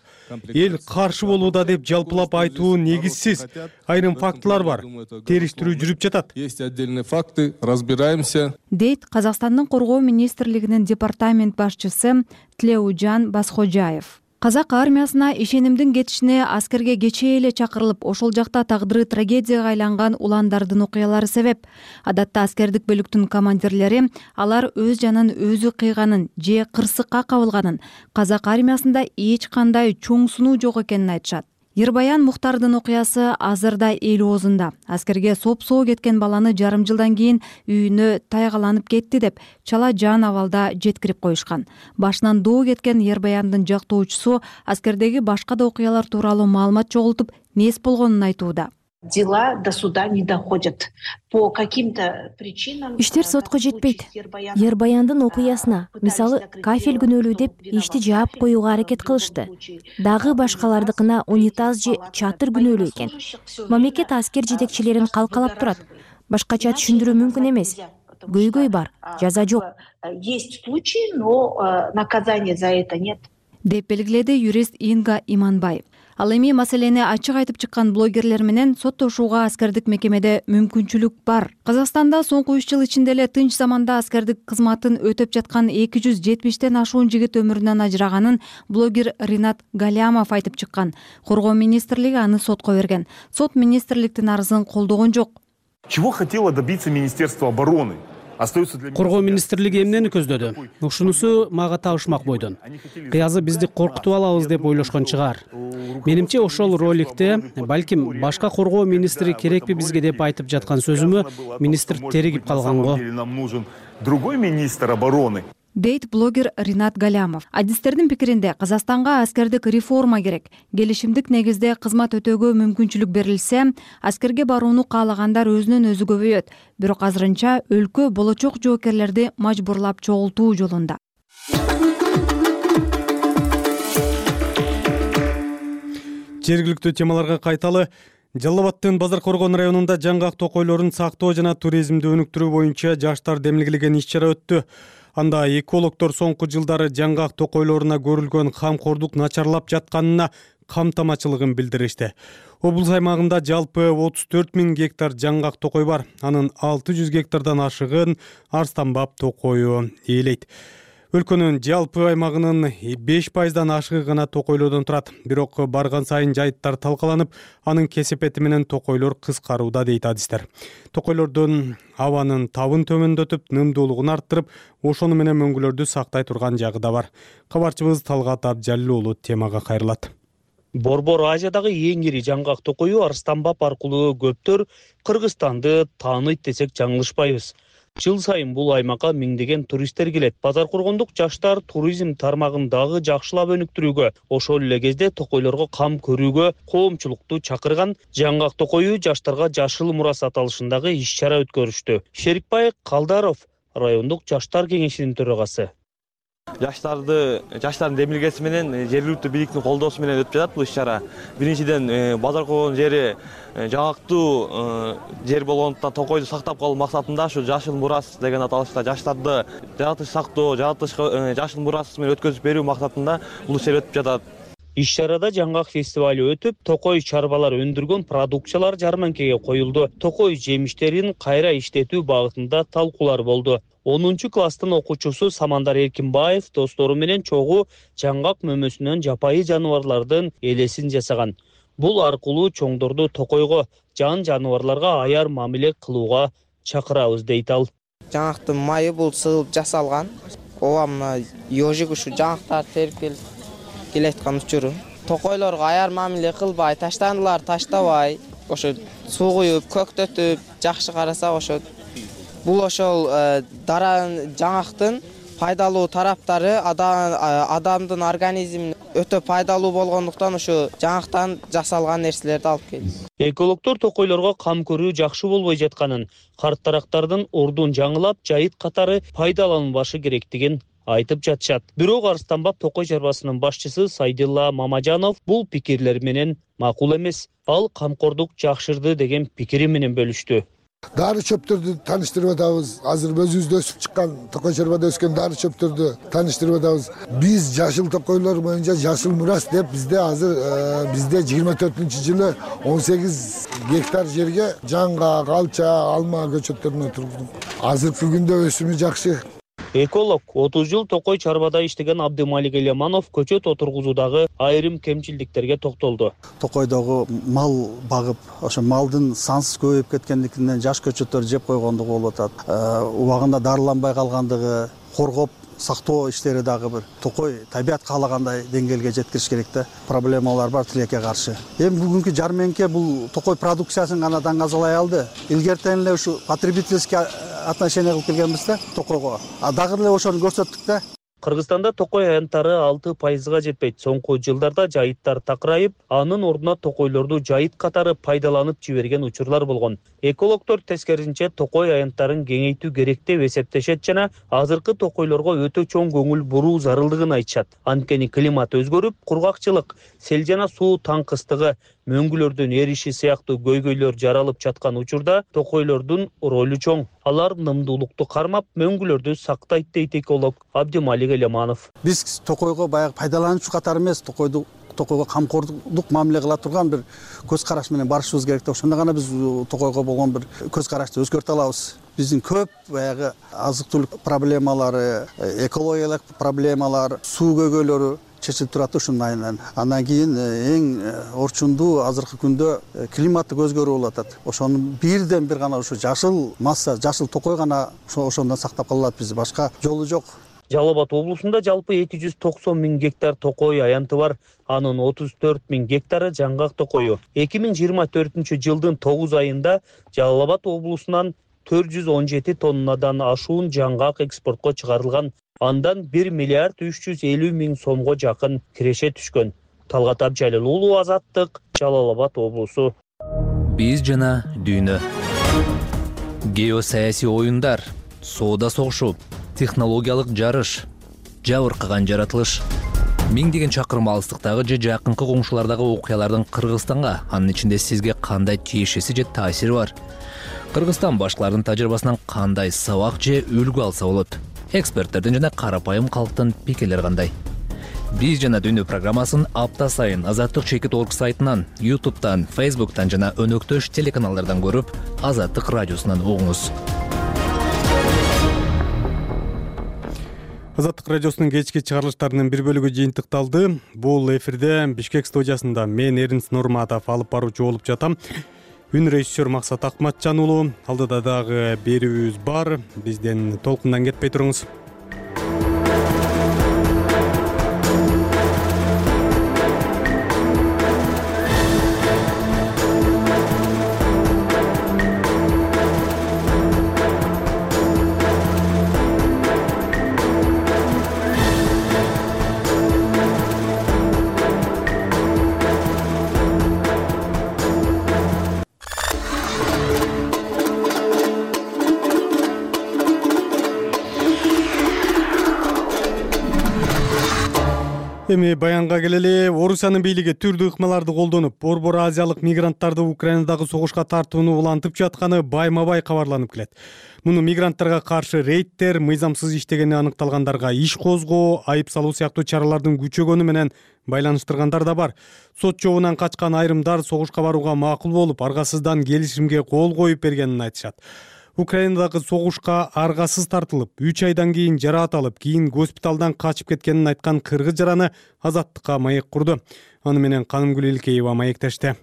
Speaker 1: Эл каршы болууда деп жалпылап айтуу негизсиз. Айрым фактылар бар. Териштирүү жүрүп жатат.
Speaker 18: Есть отдельные факты, разбираемся.
Speaker 15: Дейт Казакстандын коргоо министрлигинин департамент башчысы Тлеужан Басходжаев. Казак армиясына ишенимдин кетишине аскерге кечээ эле чакырылып, ошол жакта тагдыры трагедияга айланган уландардын окуялары себеп. Адатта аскердик бөлүктүн командирлери алар өз жанын өзү кыйганын же кырсыкка кабылганын, казак армиясында эч кандай чоң сунуу жок экенин айтышат. Ербаян Мухтардын окуясы азырда эл оозунда. Аскерге соп-соо кеткен баланы жарым жылдан кийин үйүнө тайгаланып кетти деп чала жан абалда жеткирип коюшкан. Башынан доо кеткен Ербаяндын жактоочусу аскердеги башка да окуялар тууралуу маалымат чогултуп, мес болгонун айтууда.
Speaker 19: Дела до суда не доходят. По каким-то причинам...
Speaker 20: Иштер сотко жетпейт. Ербаяндын окуясына, мисалы, кафель күнөөлүү деп ишти жаап коюуга аракет кылышты. Дагы башкалардыкына унитаз же чатыр күнөөлүү экен. Мамлекет аскер жетекчилерин калкалап турат. Башкача түшүндүрүү мүмкүн эмес. Көйгөй бар, жаза жок.
Speaker 19: Есть случаи, но наказания за это нет.
Speaker 15: Деп белгиледи юрист Инга Иманбай. Ал эми маселени ачык айтып чыккан блогерлер менен соттошууга аскердик мекемеде мүмкүнчүлүк бар. Казакстанда соңку үч жыл ичинде эле тынч заманда аскердик кызматын өтөп жаткан эки жүз жетимиштен ашуун жигит өмүрүнөн ажыраганын блогер Ринат Галямов айтып чыккан. Коргоо министрлиги аны сотко берген. Сот министрликтин арызын колдогон жок.
Speaker 21: Чего хотело добиться Министерство обороны?
Speaker 9: Коргоо министрлиги эмнени көздөдү? Ушунусу мага табышмак бойдон. Кыязы бизди коркутуп алабыз деп ойлошкон чыгар. Менимче ошол роликте балким башка коргоо министри керекпи бизге деп айтып жаткан сөзүмө министр теригип калганго.
Speaker 21: Нам нужен другой министр обороны.
Speaker 15: Дейт блогер Ринат Галямов. Адистердин пикиринде Казакстанга аскердик реформа керек. Келишимдик негизде кызмат өтөөгө мүмкүнчүлүк берилсе, аскерге барууну каалагандар өзүнөн өзү көбөйөт. Бирок азырынча өлкө болочок жоокерлерди мажбурлап чогултуу жолунда.
Speaker 1: Жергиликтүү темаларга кайталы. Жалал Абаддын Базар Коргон районунда жаңгак токойлорун сактоо жана туризмди өнүктүрүү боюнча жаштар демилгилеген иш-чара өттү. Анда экологдор соңку жылдары жаңгак токойлоруна көрүлгөн камкордук начарлап жатканына камтамачылыгын билдиришти. Облус аймагында жалпы отуз төрт миң гектар жаңгак токой бар. Анын алты жүз гектардан ашыгын арстанбап токою ээлейт. Өлкөнүн жалпы аймагынын беш пайыздан ашыгы гана токойлордон турат. Бирок барган сайын жайыттар талкаланып, анын кесепети менен токойлор кыскарууда дейт адистер. Токойлордун абанын табын төмөндөтүп, нымдуулугун арттырып, ошону менен мөңгүлөрдү сактай турган жагы да бар. Кабарчыбыз Талгат Абжалил уулу темага кайрылат.
Speaker 9: Борбор Азиядагы эң ири жаңгак токою Арстанбап аркылуу көптөр Кыргызстанды тааныйт десек жаңылышпайбыз. Жыл сайын бул аймакка миңдеген туристтер келет. Базар Коргондук жаштар туризм тармагын дагы жакшылап өнүктүрүүгө, ошол эле кезде токойлорго кам көрүүгө коомчулукту чакырган жаңгак токою жаштарга жашыл мурас аталышындагы иш-чара өткөрүштү. Шерикбай Калдаров райондук жаштар кеңешинин төрагасы.
Speaker 2: жаштарды жаштардын демилгеси менен жергиликтүү бийликтин колдоосу менен өтүп жатат бул иш чара. Биринчиден базар койгон жери жаңактуу жер болгондуктан Токойду сактап калуу максатында ушу жашыл мурас деген аталышта жаштарды жаратыш сактоо, жаратылышка жашыл мурас менен өткөзүп берүү максатында бул ишер өтүп жатат.
Speaker 22: Иш чарада жаңгак фестивалю өтүп, Токой чарбалар өндүргөн продукциялар жарманкеге коюлду. Токой жемиштерин кайра иштетүү багытында талкуулар болду. онунчу класстын окуучусу Самандар Эркинбаев достору менен чогуу жаңгак мөмөсүнөн жапайы жаныбарлардын элесин жасаган. Бул аркылуу чоңдорду Токойго, жан жаныбарларга аяр мамиле кылууга чакырабыз дейт ал.
Speaker 23: Жаңгактын майы бул сыгылып жасалган. Ооба мына ёжик ушу жаңгактар терип келип келаткан учуру. Токойлорго аяр мамиле кылбай, таштандылар таштабай, ошо суу куюп, көктөтүп, жакшы карасак ошо бул ошол дара жаңгактын пайдалуу тараптары адамдын организмине өтө пайдалуу болгондуктан ушу жаңгактан жасалган нерселерди алып келди.
Speaker 22: Экологдор Токойлорго кам көрүү жакшы болбой жатканын, карт дарактардын ордун жаңылап, жайыт катары пайдаланылбашы керектигин айтып жатышат. Бирок Арыстанбап Токой чарбасынын башчысы Сайдилла Мамажанов бул пикирлер менен макул эмес. Ал камкордук жакшырды деген пикири менен бөлүштү.
Speaker 24: Дары чөптөрдү таныштырып атабыз. Азыр өзүбүздө өсүп чыккан, Токой чарбада өскөн дары чөптөрдү таныштырып атабыз. Биз жашыл токойлор боюнча жашыл мурас деп бизде азыр бизде жыйырма төртүнчү жылы он сегиз гектар жерге жаңгак, алча, алма көчөттөрүн отургуздук. Азыркы күндө өсүмү жакшы.
Speaker 22: Эколог отуз жыл Токой чарбада иштеген Абдымалик Элеманов көчөт отургузуудагы айрым кемчилдиктерге токтолду.
Speaker 25: Токойдогу мал багып, ошо малдын сансыз көбөйүп кеткендигинен жаш көчөттөр жеп койгондугу болуп атат. Убагында дарыланбай калгандыгы, коргоп сактоо иштери дагы бир Токой табият каалагандай деңгээлге жеткириш керек да. Проблемалар бар тилекке каршы. Эми бүгүнкү жарменке бул Токой продукциясын гана даңазалай алды. Илгертен эле ушу потребительский отношение кылып келгенбиз да Токойго. А дагы эле ошону көрсөттүк да.
Speaker 22: Кыргызстанда Токой аянттары алты пайызга жетпейт. Соңку жылдарда жайыттар такырайып, анын ордуна токойлорду жайыт катары пайдаланып жиберген учурлар болгон. Экологдор тескерисинче Токой аянттарын кеңейтүү керек деп эсептешет жана азыркы токойлорго өтө чоң көңүл буруу зарылдыгын айтышат. Анткени климат өзгөрүп, кургакчылык, сел жана суу таңкыстыгы, мөңгүлөрдүн эриши сыяктуу көйгөйлөр жаралып жаткан учурда токойлордун ролу чоң. Алар нымдуулукту кармап, мөңгүлөрдү сактайт дейт эколог Абдымалик Элеманов.
Speaker 25: Биз Токойго баягы пайдалануучу катары эмес, Токойду Токойго камкордук мамиле кыла турган бир көз караш менен барышыбыз керек да. Ошондо гана биз Токойго болгон бир көз карашты өзгөртө алабыз. Биздин көп баягы азык-түлүк проблемалары, экологиялык проблемалар, суу көйгөйлөрү чечилип турат ушунун айынан. Андан кийин эң орчундуу азыркы күндө климаттык өзгөрүү болуп атат. Ошону бирден бир гана ушу жашыл масса, жашыл Токой гана ошондон сактап кала алат биз. Башка жолу жок.
Speaker 22: Жалал Абад облусунда жалпы эки жүз токсон миң гектар Токой аянты бар. Анын отуз төрт миң гектары жаңгак Токою. эки миң жыйырма төртүнчү жылдын тогуз айында Жалал Абад облусунан төрт жүз он жети тоннадан ашуун жаңгак экспортко чыгарылган. Андан бир миллиард үч жүз элүү миң сомго жакын киреше түшкөн. Талгат Абжалил уулу, Азаттык, Жалал Абад облусу.
Speaker 17: Биз жана дүйнө. Геосаясий оюндар, соода согушу, технологиялык жарыш, жабыркаган жаратылыш. Миңдеген чакырым алыстыктагы же жакынкы коңшулардагы окуялардын Кыргызстанга, анын ичинде сизге кандай тиешеси же таасири бар? Кыргызстан башкалардын тажрыйбасынан кандай сабак же үлгү алса болот? Эксперттердин жана карапайым калктын пикирлери кандай? Биз жана дүйнө программасын апта сайын Азаттык чекит точка орг сайтынан, ютубтан, фейсбуктан жана өнөктөш телеканалдардан көрүп, Азаттык радиосунан угуңуз.
Speaker 1: Азаттык радиосунун кечки чыгарылыштарынын бир бөлүгү жыйынтыкталды. Бул эфирде Бишкек студиясында мен Эринс Нурматов алып баруучу болуп жатам. Үн режиссер Максат Акматжан уулу. Алдыда дагы берүүбүз бар. Бизден толкундан кетпей туруңуз. Эми баянга келели. Орусиянын бийлиги түрдүү ыкмаларды колдонуп, Борбор азиялык мигранттарды Украинадагы согушка тартууну улантып жатканы байма-бай кабарланып келет. Муну мигранттарга каршы рейдтер, мыйзамсыз иштегени аныкталгандарга иш козгоо, айып салуу сыяктуу чаралардын күчөгөнү менен байланыштыргандар да бар. Сот жообунан качкан айрымдар согушка барууга макул болуп, аргасыздан келишимге кол коюп бергенин айтышат. Украинадагы согушка аргасыз тартылып, үч айдан кийин жараат алып, кийин госпиталдан качып кеткенин айткан кыргыз жараны Азаттыкка маек курду. Аны менен Канымгүл Илкеева маектешти.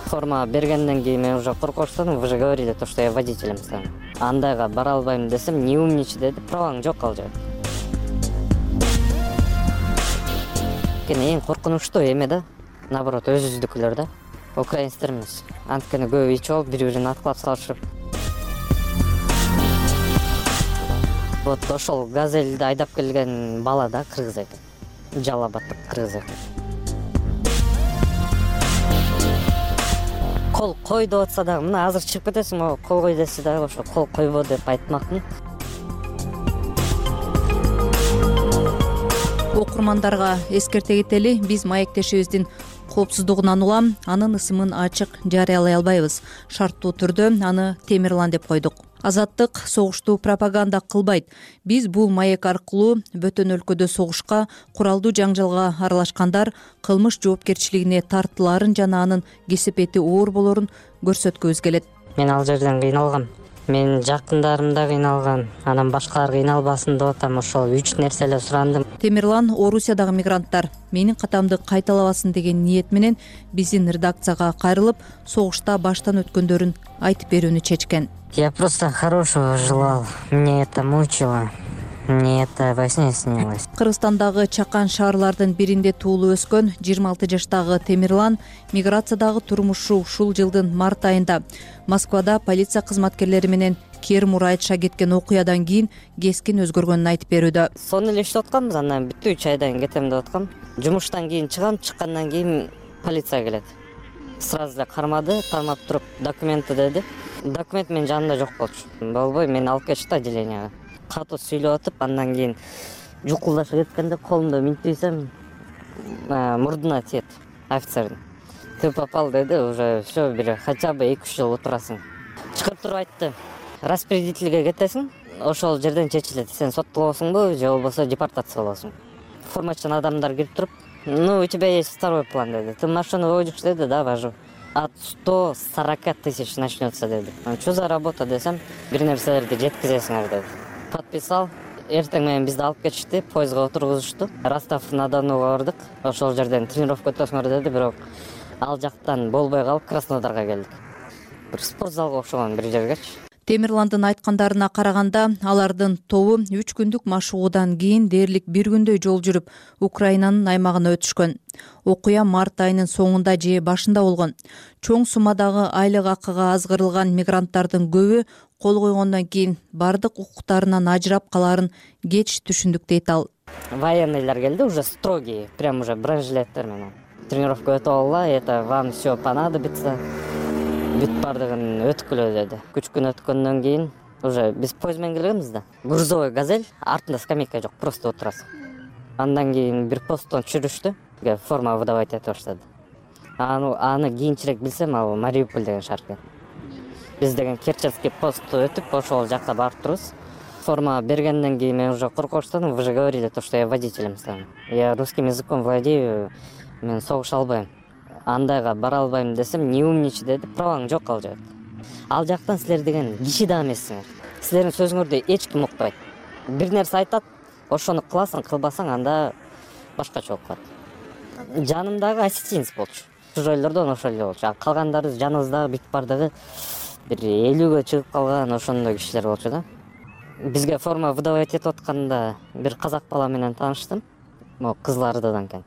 Speaker 3: Форма бергенден кийин мен уже коркуштадым, вы же говорили то, что я водителем стану. Андайга бара албайм десем, не умничай деди, праваң жок ал жерде. Эң коркунучтуу эме да, наоборот, өзүздүкүлөр да. Украинецтер эмес. Анткени көбү ичип алып, бири-бирин аткылап салышып. Вот ошол газельди айдап келген бала да кыргыз экен. Жалал Абадтык кыргыз экен. Кол кой деп атса дагы, мына азыр чыгып кетесиң, могу кол кой десе дагы ошо кол койбо деп айтмакмын.
Speaker 15: Окурмандарга эскерте кетели, биз маектешибиздин коопсуздугунан улам анын ысымын ачык жарыялай албайбыз. Шарттуу түрдө аны Темирлан деп койдук. Азаттык согушту пропаганда кылбайт. Биз бул маек аркылуу бөтөн өлкөдө согушка, куралдуу жаңжалга аралашкандар кылмыш жоопкерчилигине тартылаарын жана анын кесепети оор болорун көрсөткүбүз келет.
Speaker 3: Мен ал жерден кыйналгам. Менин жакындарым да кыйналган, анан башкалар кыйналбасын деп атам, ошол үч нерселер сурандым.
Speaker 15: Темирлан Орусиядагы мигранттар менин катамды кайталабасын деген ниет менен биздин редакцияга кайрылып, согушта баштан өткөндөрүн айтып берүүнү чечкен.
Speaker 3: Я просто хорошего желал, мне это мучило, мне это во сне снилось.
Speaker 15: Кыргызстандагы чакан шаарлардын биринде туулуп өскөн жыйырма алты жаштагы Темирлан миграциядагы турмушу ушул жылдын март айында Москвада полиция кызматкерлери менен Кермур айтыша кеткен окуядан кийин кескин өзгөргөнүн айтып берүүдө.
Speaker 3: Сонун эле иштеп атканбыз, андан бүттү, үч айдан кетем деп аткам. Жумуштан кийин чыгам, чыккандан кийин полиция келет. Сразу эле кармады, кармап туруп документи деди. Документ менин жанымда жок болчу. Болбой, мени алып кетишти отделенияга. Катуу сүйлөп атып, андан кийин жукулдаша кеткенде колумду минтисем, мурдуна тиет офицердин. Ты попал деди, уже все, бир хотя бы эки үч жыл отурасың. Чыгып туруп айтты, распределительге кетесиң, ошол жерден чечилет. Сен соттолосуңбу же болбосо депортация болосуң. Формачан адамдар кирип туруп, ну, у тебя есть второй план деди. Ты машину водишь деди, да, вожу. От ста сорока тысяч начнется деди. Что за работа десем, бир нерселерди жеткизесиңер деди. Подписал. Эртең менен бизди алып кетишти, поездга отургузушту. Ростов-на-Донуга бардык. Ошол жерден тренировка өтөсүңөр деди, бирок ал жактан болбой калып Краснодарга келдик. Бир спортзалга окшогон бир жергечи.
Speaker 15: Темирландын айткандарына караганда, алардын тобу үч күндүк машыгуудан кийин дээрлик бир күндөй жол жүрүп, Украинанын аймагына өтүшкөн. Окуя март айынын соңунда же башында болгон. Чоң суммадагы айлык акыга азгырылган мигранттардын көбү кол койгондон кийин бардык укуктарынан ажырап калаарын кеч түшүндүк дейт ал.
Speaker 3: Военныйлар келди, уже строгие, прям уже бронежилеттер менен. Тренировка өтүп алла, это вам все понадобится. Бүт бардыгын өткүлө деди. Үч күн өткөндөн кийин уже биз поезд менен келгенбиз да. Грузовой газель, артында скамейка жок, просто отурасың. Андан кийин бир посттон түшүрүштү, форма выдавать этип баштады. Аны аны кийинчерээк билсем, ал Мариуполь деген шаар экен. Биз деген Керченский постту өтүп, ошол жакка барып турбуз. Форма бергенден кийин мен уже коркуштадым, вы же говорили то, что я водителем стану. Я русским языком владею, мен согуша албайм. Андайга бара албайм десем, не умничай деди, праваң жок ал жерде. Ал жактан силер деген киши да эмессиңер. Силердин сөзүңөрдү эч ким укпайт. Бир нерсе айтат, ошону кыласың, кылбасаң, анда башкача болуп калат. Жанымдагы осетинец болчу. Чужойлордон ошол эле болчу. А калгандары жаныбыздагы бүт бардыгы бир элүүгө чыгып калган ошондой кишилер болчу да. Бизге форма выдавать этип атканда бир казак бала менен тааныштым. Могу Кызыл Ардыдан экен.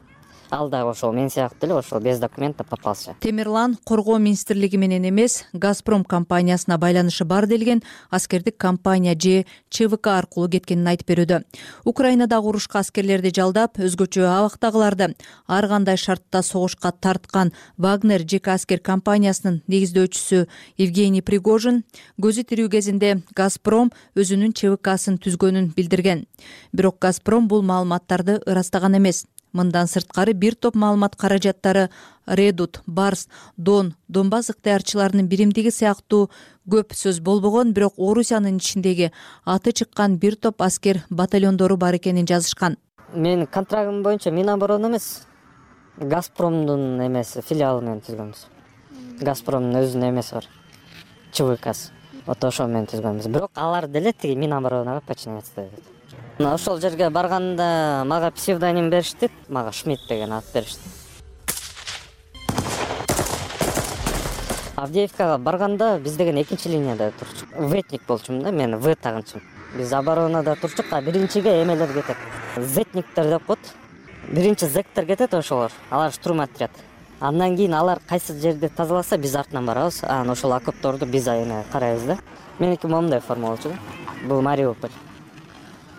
Speaker 3: ал дагы ошол мен сыяктуу эле ошол без документа попался.
Speaker 15: Темирлан коргоо министрлиги менен эмес, Газпром компаниясына байланышы бар делген аскердик компания же ЧВК аркылуу кеткенин айтып берүүдө. Украинадагы урушка аскерлерди жалдап, өзгөчө абактагыларды ар кандай шартта согушка тарткан Вагнер жеке аскер компаниясынын негиздөөчүсү Евгений Пригожин көзү тирүү кезинде Газпром өзүнүн ЧВКсын түзгөнүн билдирген. Бирок Газпром бул маалыматтарды ырастаган эмес. Мындан сырткары бир топ маалымат каражаттары Редут, Барс, Дон, Донбасс ыктыярчыларынын биримдиги сыяктуу көп сөз болбогон, бирок Орусиянын ичиндеги аты чыккан бир топ аскер батальондору бар экенин жазышкан.
Speaker 3: Менин контрагым боюнча Миноборона эмес, Газпромдун эмеси филиалы менен түзгөнбүз. Газпромдун өзүнүн эмеси бар, ЧВКсы. Вот ошо менен түзгөнбүз. Бирок алар деле тиги Миноборонага подчиняться этет. Ошол жерге барганда мага псевдоним беришти, мага Шмидт деген ат беришти. Авдеевкага барганда биз деген экинчи линияда турчук. Ветник болчумун да, мен В тагынчым. Биз оборонада турчук, а биринчиге эмелер кетет. Зетниктер деп коет. Биринчи зектер кетет ошолор. Алар штурм отряд. Андан кийин алар кайсы жерди тазаласа, биз артынан барабыз. Анан ошол окопторду биз эме карайбыз да. Меники момундай форма болчу да. Бул Мариуполь.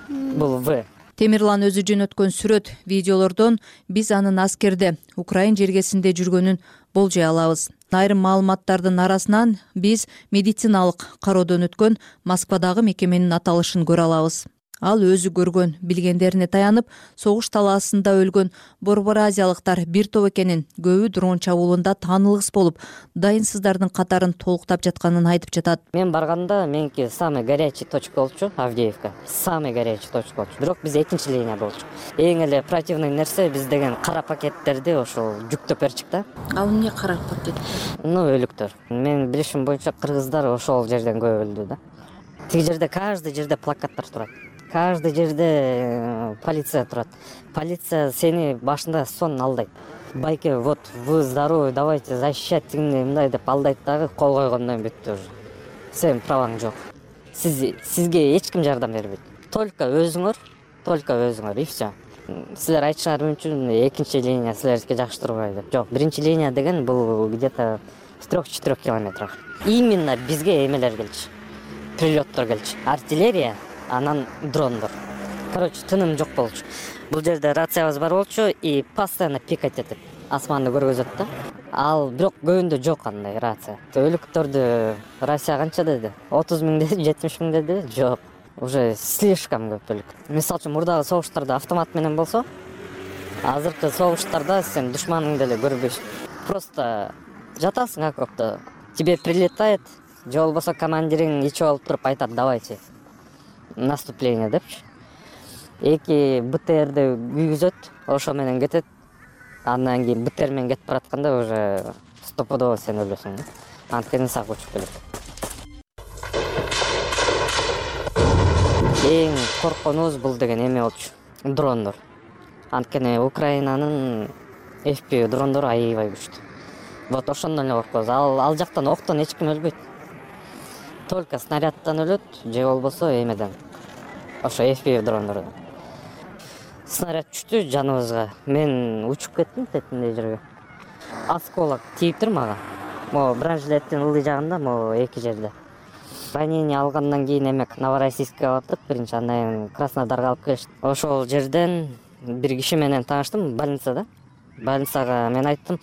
Speaker 3: Бул В.
Speaker 15: Темирлан өзү жөнөткөн сүрөт, видеолордон биз анын аскерде Украин жергесинде жүргөнүн болжой алабыз. Айрым маалыматтардын арасынан биз медициналык кароодон өткөн Москвадагы мекеменин аталышын көрө алабыз. Ал өзү көргөн билгендерине таянып, согуш талаасында өлгөн борбор азиялыктар бир топ экенин, көбү дрон чабуулунда таанылгыс болуп, дайынсыздардын катарын толуктап жатканын айтып жатат.
Speaker 3: Мен барганда меники самый горячий точка болчу, Авдеевка. Самый горячий точка болчу. Бирок биз экинчи линия болчу. Эң эле противный нерсе биз деген кара пакеттерди ошол жүктөп берчик да.
Speaker 10: Ал эмне кара пакет?
Speaker 3: Ну, өлүктөр. Менин билишим боюнча кыргыздар ошол жерден көп өлдү да. Тиги жерде каждый жерде плакаттар турат. Каждый жерде полиция турат. Полиция сени башында сон алдайт. Байке, вот вы здоровый, давайте защищать тигине мындай деп алдайт дагы, кол койгондон бүттү уже. Сенин праваң жок. Сиз сизге эч ким жардам бербейт. Только өзүңөр, только өзүңөр и все. Силер айтышыңар үчүн экинчи линия силерге жакшы турбайт деп. Жок, биринчи линия деген бул где-то в трех-четырех километрах. Именно бизге эмелер келчү. Прилеттор келчү. Артиллерия, анан дрондор. Короче, тыным жок болчу. Бул жерде рациябыз бар болчу и постоянно пикать этип асманды көргөзөт да. Ал бирок көбүндө жок андай рация. Өлүктөрдү Россия канча деди? отуз миң деди, жетимиш миң деди? Жок. Уже слишком көп өлүк. Мисалы үчүн мурдагы согуштарда автомат менен болсо, азыркы согуштарда сен душманыңды эле көрбөйсүң. Просто жатасың окопто, тебе прилетает, же болбосо командириң ичип алып туруп айтат: "Давайте наступление" депчи. Эки БТРди күйгүзөт, ошо менен кетет. Андан кийин БТР менен кетип баратканда уже стопудово сен өлөсүң да. Анткени сак учуп келет. Эң коркконубуз бул деген эме болчу. Дрондор. Анткени Украинанын эф пи ви дрондору аябай күчтүү. Вот ошондон эле коркобуз. Ал ал жактан октон эч ким өлбөйт. Только снарядтан өлөт, же болбосо эмеден. Ошо эф пи ви дрондордон. Снаряд түштү жаныбызга. Мен учуп кеттим тетиндей жерге. Осколок тийиптир мага. Могу бронежилеттин ылдый жагында, могу эки жерде. Ранение алгандан кийин эмек Новороссийскке бардык биринчи, андан кийин Краснодарга алып келишти. Ошол жерден бир киши менен тааныштым больницада. Больницага мен айттым.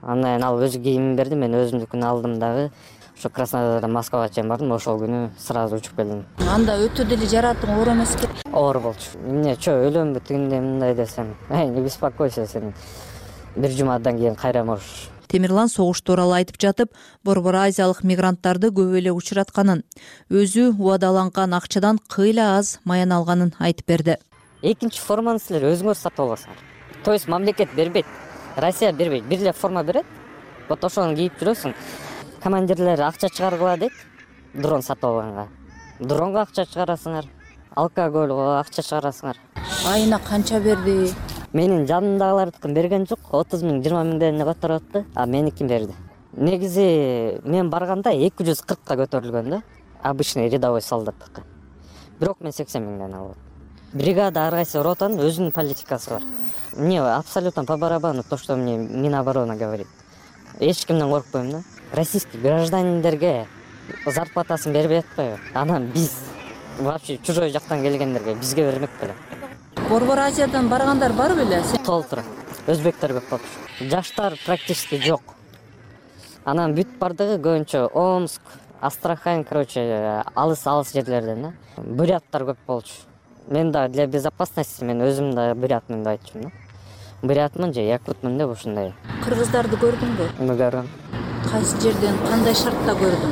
Speaker 3: Андан кийин ал өзү кийимин берди, мен өзүмдүкүн алдым дагы. Ошо Краснодардан Москвага чейин бардым, ошол күнү сразу учуп келдим.
Speaker 10: Анда өтө деле жаратың оор эмеспи?
Speaker 3: Оор болчу. Эмне, чө өлөмбү тигиндей мындай десем. Эй, не беспокойся, сен бир жумадан кийин кайра можешь.
Speaker 15: Темирлан согуш тууралуу айтып жатып, борбор азиялык мигранттарды көп эле учуратканын, өзү убадаланган акчадан кыйла аз маян алганын айтып берди.
Speaker 3: Экинчи форманы силер өзүңөр сатып аласыңар. То есть мамлекет бербейт, Россия бербейт, бир эле форма берет. Вот ошону кийип жүрөсүң. Командирлер акча чыгаргыла дейт, дрон сатып алганга. Дронго акча чыгарасыңар, алкоголго акча чыгарасыңар.
Speaker 10: Айына канча берди?
Speaker 3: Менин жанымдагылардыкын берген жок, отуз миң, жыйырма миңден которуп атты, а меникин берди. Негизи мен барганда эки жүз кыркка көтөрүлгөн да, обычный рядовой солдаттыкы. Бирок мен сексен миңден алып. бригада, ар кайсы ротанын өзүнүн политикасы бар. Мне абсолютно по барабану то, что мне Минобороны говорит. Эч кимден коркпойм да. Российский гражданиндерге зарплатасын бербей атпайбы? Анан биз вообще чужой жактан келгендерге бизге бермек беле.
Speaker 15: Борбор Азиядан баргандар бар беле?
Speaker 3: Толтура. Өзбектер көп болчу. Жаштар практически жок. Анан бүт бардыгы көбүнчө Омск, Астрахань, короче, алыс-алыс жерлерден да. Буряттар көп болчу. Мен да для безопасности мен өзүм да бурятмын деп айтчумун да. Бурятмын же якутмун деп ушундай.
Speaker 15: Кыргыздарды көрдүңбү?
Speaker 3: Көрдүм.
Speaker 15: Кайсы жерден, кандай шартта көрдүң?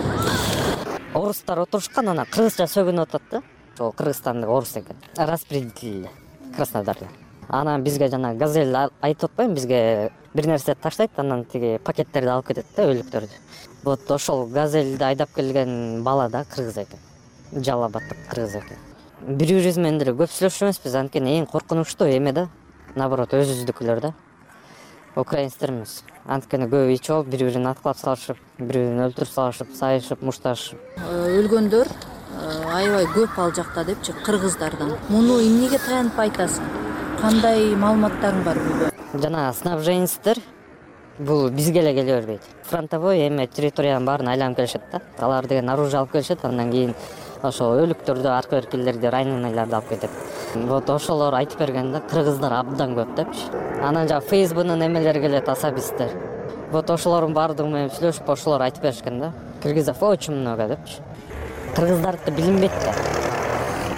Speaker 3: Орустар отурушкан, анан кыргызча сөгүнүп атат да. Ошол Кыргызстандык орус экен. Распределитель Краснодарда. Анан бизге жана газель айтып атпайбы, бизге бир нерсе таштайт, анан тиги пакеттерди алып кетет да, өлүктөрдү. Вот ошол газельди айдап келген бала да кыргыз экен. Жалал Абадтык кыргыз экен. Бири-бирибиз менен деле көп сүйлөшүп эмеспиз, анткени эң коркунучтуу эме да. Наоборот, өзүбүздүкүлөр да. Украинецтер эмес. Анткени көп ич болуп, бири-бирин аткылап салышып, бири-бирин өлтүрүп салышып, сайышып, мушташып.
Speaker 15: Өлгөндөр аябай көп ал жакта депчи, кыргыздардан. Муну эмнеге таянып айтасың? Кандай маалыматтарың бар буга?
Speaker 3: Жана снабженецтер бул бизге эле келе бербейт. Фронтовой эме территориянын баарын айланып келишет да. Алар деген оружие алып келишет, андан кийин ошол өлүктөрдү, арка эркелерди, раненыйларды алып кетет. Вот ошолор айтып берген да, кыргыздар абдан көп депчи. Анан жана ФСБнын эмелери келет, особисттер. Вот ошолордун баардыгы менен сүйлөшүп, ошолор айтып беришкен да. Кыргызов очень много депчи. Кыргыздарды билинбейт да.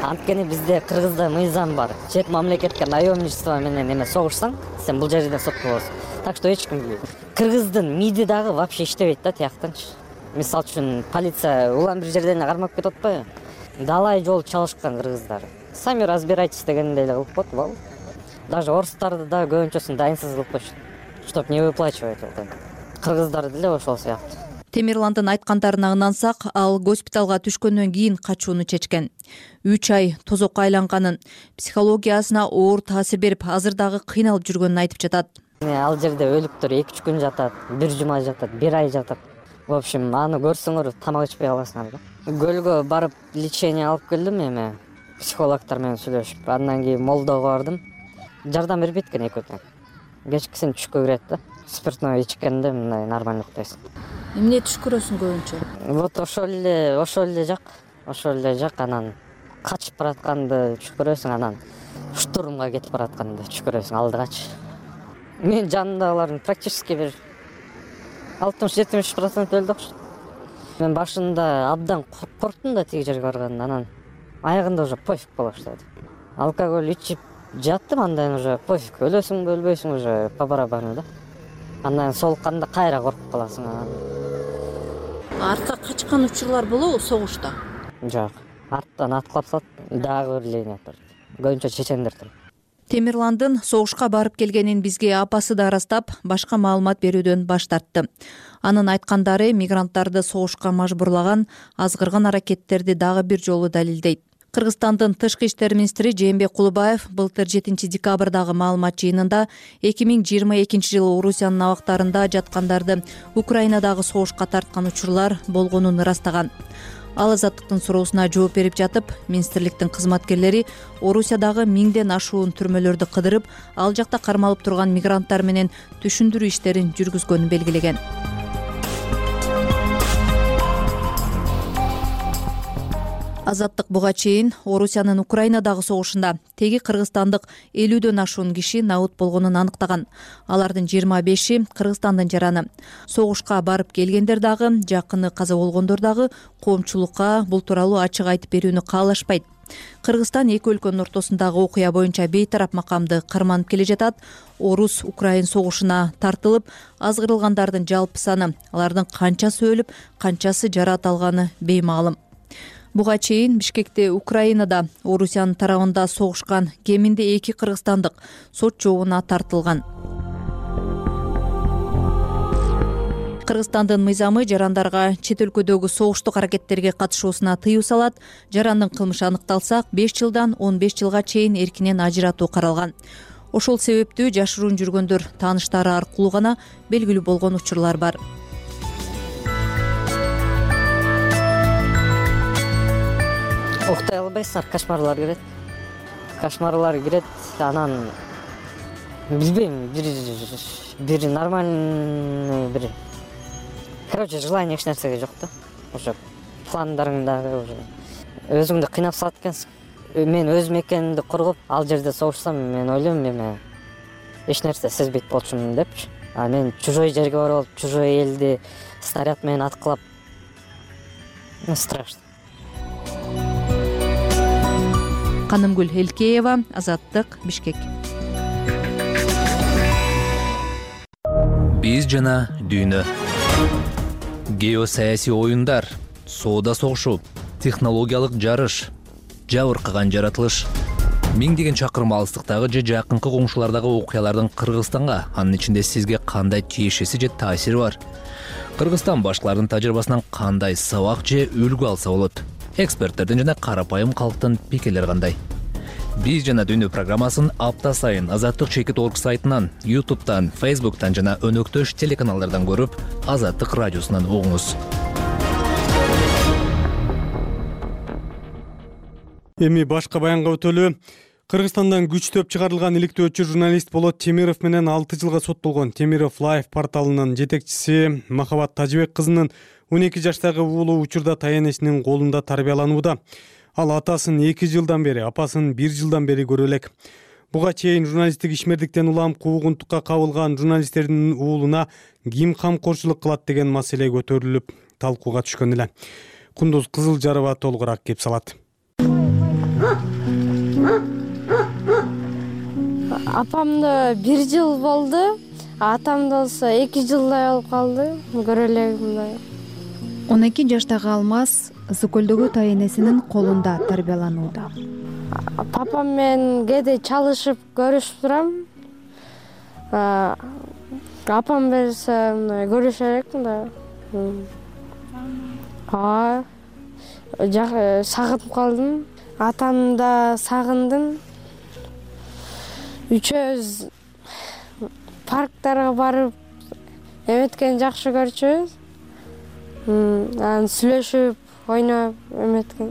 Speaker 3: Анткени бизде кыргызда мыйзам бар. Чет мамлекетке наемничество менен эме согушсаң, сен бул жерден соттолосуң. Так что эч ким билбейт. Кыргыздын МИДи дагы вообще иштебейт да тияктанчы. Мисалы үчүн полиция улам бир жерден кармап кетип атпайбы? Далай жол чалышкан кыргыздар. Сами разбирайтесь дегендей эле кылып коет, бол. Даже орустарды да көбүнчөсүн дайынсыз кылып коюшат, чтоб не выплачивать вот. Кыргыздар деле ошол сыяктуу.
Speaker 15: Темирландын айткандарына ынансак, ал госпиталга түшкөндөн кийин качууну чечкен. үч ай тозокко айланганын, психологиясына оор таасир берип, азыр дагы кыйналып жүргөнүн айтып жатат.
Speaker 3: Ал жерде өлүктөр эки үч күн жатат, бир жума жатат, бир ай жатат. В общем, аны көрсөңөр тамак ичпей каласыңар да. Көлгө барып лечение алып келдим эме, психологдор менен сүйлөшүп. Андан кийин молдого бардым. Жардам бербейт экен экөөтөн. Кечкисин түшкө кирет да. Спиртной ичкенде мындай нормально уктайсың.
Speaker 15: Эмне түш көрөсүң көбүнчө?
Speaker 3: Вот ошол эле, ошол эле жак, ошол эле жак, анан качып баратканды түш көрөсүң, анан штурмга кетип баратканды түш көрөсүң, алдыгачы. Мен жанымдагылардын практически бир алтымыш жетимиш процент өлдү окшойт. Мен башында абдан корктум да тиги жерге барганда, анан аягында уже пофиг боло баштады. Алкоголь ичип жаттым, андан уже пофиг, өлөсүңбү, өлбөйсүң уже по барабану да. Андан солукканда кайра коркуп каласың.
Speaker 15: Артка качкан учурлар болобу согушта?
Speaker 3: Жок. Арттан аткылап салат, дагы бир линия тур. Көбүнчө чечендер тур.
Speaker 15: Темирландын согушка барып келгенин бизге апасы да ырастап, башка маалымат берүүдөн баш тартты. Анын айткандары мигранттарды согушка мажбурлаган азгырган аракеттерди дагы бир жолу далилдейт. Кыргызстандын тышкы иштер министри Жээнбек Кулубаев былтыр жетинчи декабрдагы маалымат жыйынында эки миң жыйырма экинчи жылы Орусиянын абактарында жаткандарды Украинадагы согушка тарткан учурлар болгонун ырастаган. Ал Азаттыктын суроосуна жооп берип жатып, министрликтин кызматкерлери Орусиядагы миңден ашуун түрмөлөрдү кыдырып, ал жакта кармалып турган мигранттар менен түшүндүрүү иштерин жүргүзгөнүн белгилеген. Азаттык буга чейин Орусиянын Украинадагы согушунда теги кыргызстандык элүүдөн ашуун киши набыт болгонун аныктаган. Алардын жыйырма беши Кыргызстандын жараны. Согушка барып келгендер дагы, жакыны каза болгондор дагы коомчулукка бул тууралуу ачык айтып берүүнү каалашпайт. Кыргызстан эки өлкөнүн ортосундагы окуя боюнча бейтарап макамды карманып келе жатат. Орус-Украин согушуна тартылып, азгырылгандардын жалпы саны, алардын канчасы өлүп, канчасы жараат алганы беймаалым. Буга чейин Бишкекте Украинада Орусиянын тарабында согушкан кеминде эки кыргызстандык сот жообуна тартылган. Кыргызстандын мыйзамы жарандарга чет өлкөдөгү согуштук аракеттерге катышуусуна тыюу салат. Жарандын кылмышы аныкталса, беш жылдан он беш жылга чейин эркинен ажыратуу каралган. Ошол себептүү жашыруун жүргөндөр тааныштары аркылуу гана белгилүү болгон учурлар бар.
Speaker 3: Уктай албайсыңар, кошмарлар келет. кошмарлар кирет. Анан билбейм, бир бир нормальный бир, короче, желание эч нерсеге жок да. Ошо пландарыңдагы уже өзүңдү кыйнап салат экенсиң. Мен өз мекенимди кургуп, ал жерде согушсам, мен ойлойм эме эч нерсе сезбейт болчумун депчи. А мен чужой жерге барып, чужой элди снаряд менен аткылап, страшно.
Speaker 4: Канымгүл Элкеева, Азаттык, Бишкек.
Speaker 17: Биз жана дүйнө. Геосаясий оюндар, соода согушу, технологиялык жарыш, жабыркаган жаратылыш. Миңдеген чакырым алыстыктагы же жакынкы коңшулардагы окуялардын Кыргызстанга, анын ичинде сизге кандай тиешеси же таасири бар? Кыргызстан башкалардын тажрыйбасынан кандай сабак же үлгү алса болот? Эксперттердин жана карапайым калктын пикирлери кандай? Биз жана дүйнө программасын апта сайын Азаттык чекит точка орг сайтынан, ютубтан, фейсбуктан жана өнөктөш телеканалдардан көрүп, Азаттык радиосунан угуңуз.
Speaker 1: Эми башка баянга өтөлү. Кыргызстандан күчтөп чыгарылган иликтөөчү журналист Болот Темиров менен алты жылга соттолгон Темиров Лайф порталынын жетекчиси Махабат Тажыбек кызынын он эки жаштагы уулу учурда таянесинин колунда тарбияланууда. Ал атасын эки жылдан бери, апасын бир жылдан бери көрө элек. Буга чейин журналисттик ишмердиктен улам куугунтукка кабылган журналисттердин уулуна ким камкорчулук кылат деген маселе көтөрүлүп, талкууга түшкөн эле. Кундуз Кызылжарова толугураак кеп салат.
Speaker 5: Апамда бир жыл болду, атамда болсо эки жылдай болуп калды. Көрө элегим.
Speaker 15: он эки жаштагы Алмаз Ысык көлдөгү таянесинин колунда тарбияланууда.
Speaker 5: Папам менен кээде чалышып көрүшүп турам. Апам берсе мындай көрүшөр элекмин да. А, сагынып калдым. Атамды да сагындым. Үчөөбүз парктарга барып эметкен жакшы көрчүбүз. Анан сүйлөшүп, ойноп эметкен.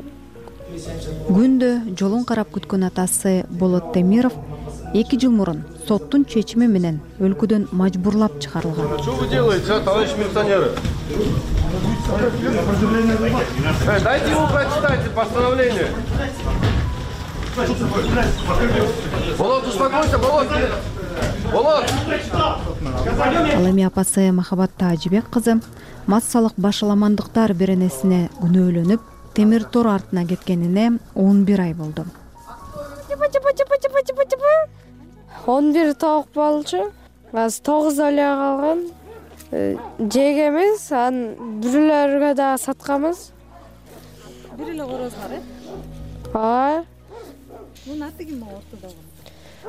Speaker 15: Күндө жолун карап күткөн атасы Болот Темиров эки жыл мурун соттун чечими менен өлкөдөн мажбурлап чыгарылган.
Speaker 6: Что вы делаете, товарищ милиционеры? Дайте ему прочитать постановление. Болот, успокойся, Болот. Болот.
Speaker 15: Ал эми апасы Махабат Тажыбек кызы массалык башаламандыктар беренесине күнөөлөнүп, темир тор артына кеткенине он бир ай болду.
Speaker 5: он бир тоок болчу. Азыр тогуз эле калган. Жегебиз, анан бүрөлөргө да сатканбыз.
Speaker 15: Бир эле корозуңар, э?
Speaker 5: Ооба.
Speaker 15: Мунун аты ким ортодогу?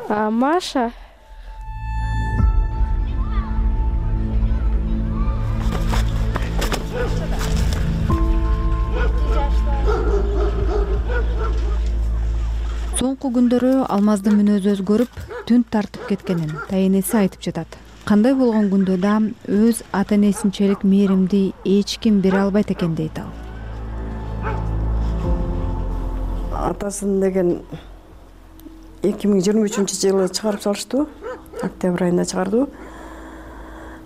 Speaker 5: А, Маша.
Speaker 15: Соңку күндөрү Алмаздын мүнөзү өзгөрүп, түн тартып кеткенин таянеси айтып жатат. Кандай болгон күндө да өз ата-энесинчелик мээримди эч ким бере албайт экен дейт ал.
Speaker 7: Атасын деген эки миң жыйырма үчүнчү жылы чыгарып салыштуу. Октябрь айында чыгарды.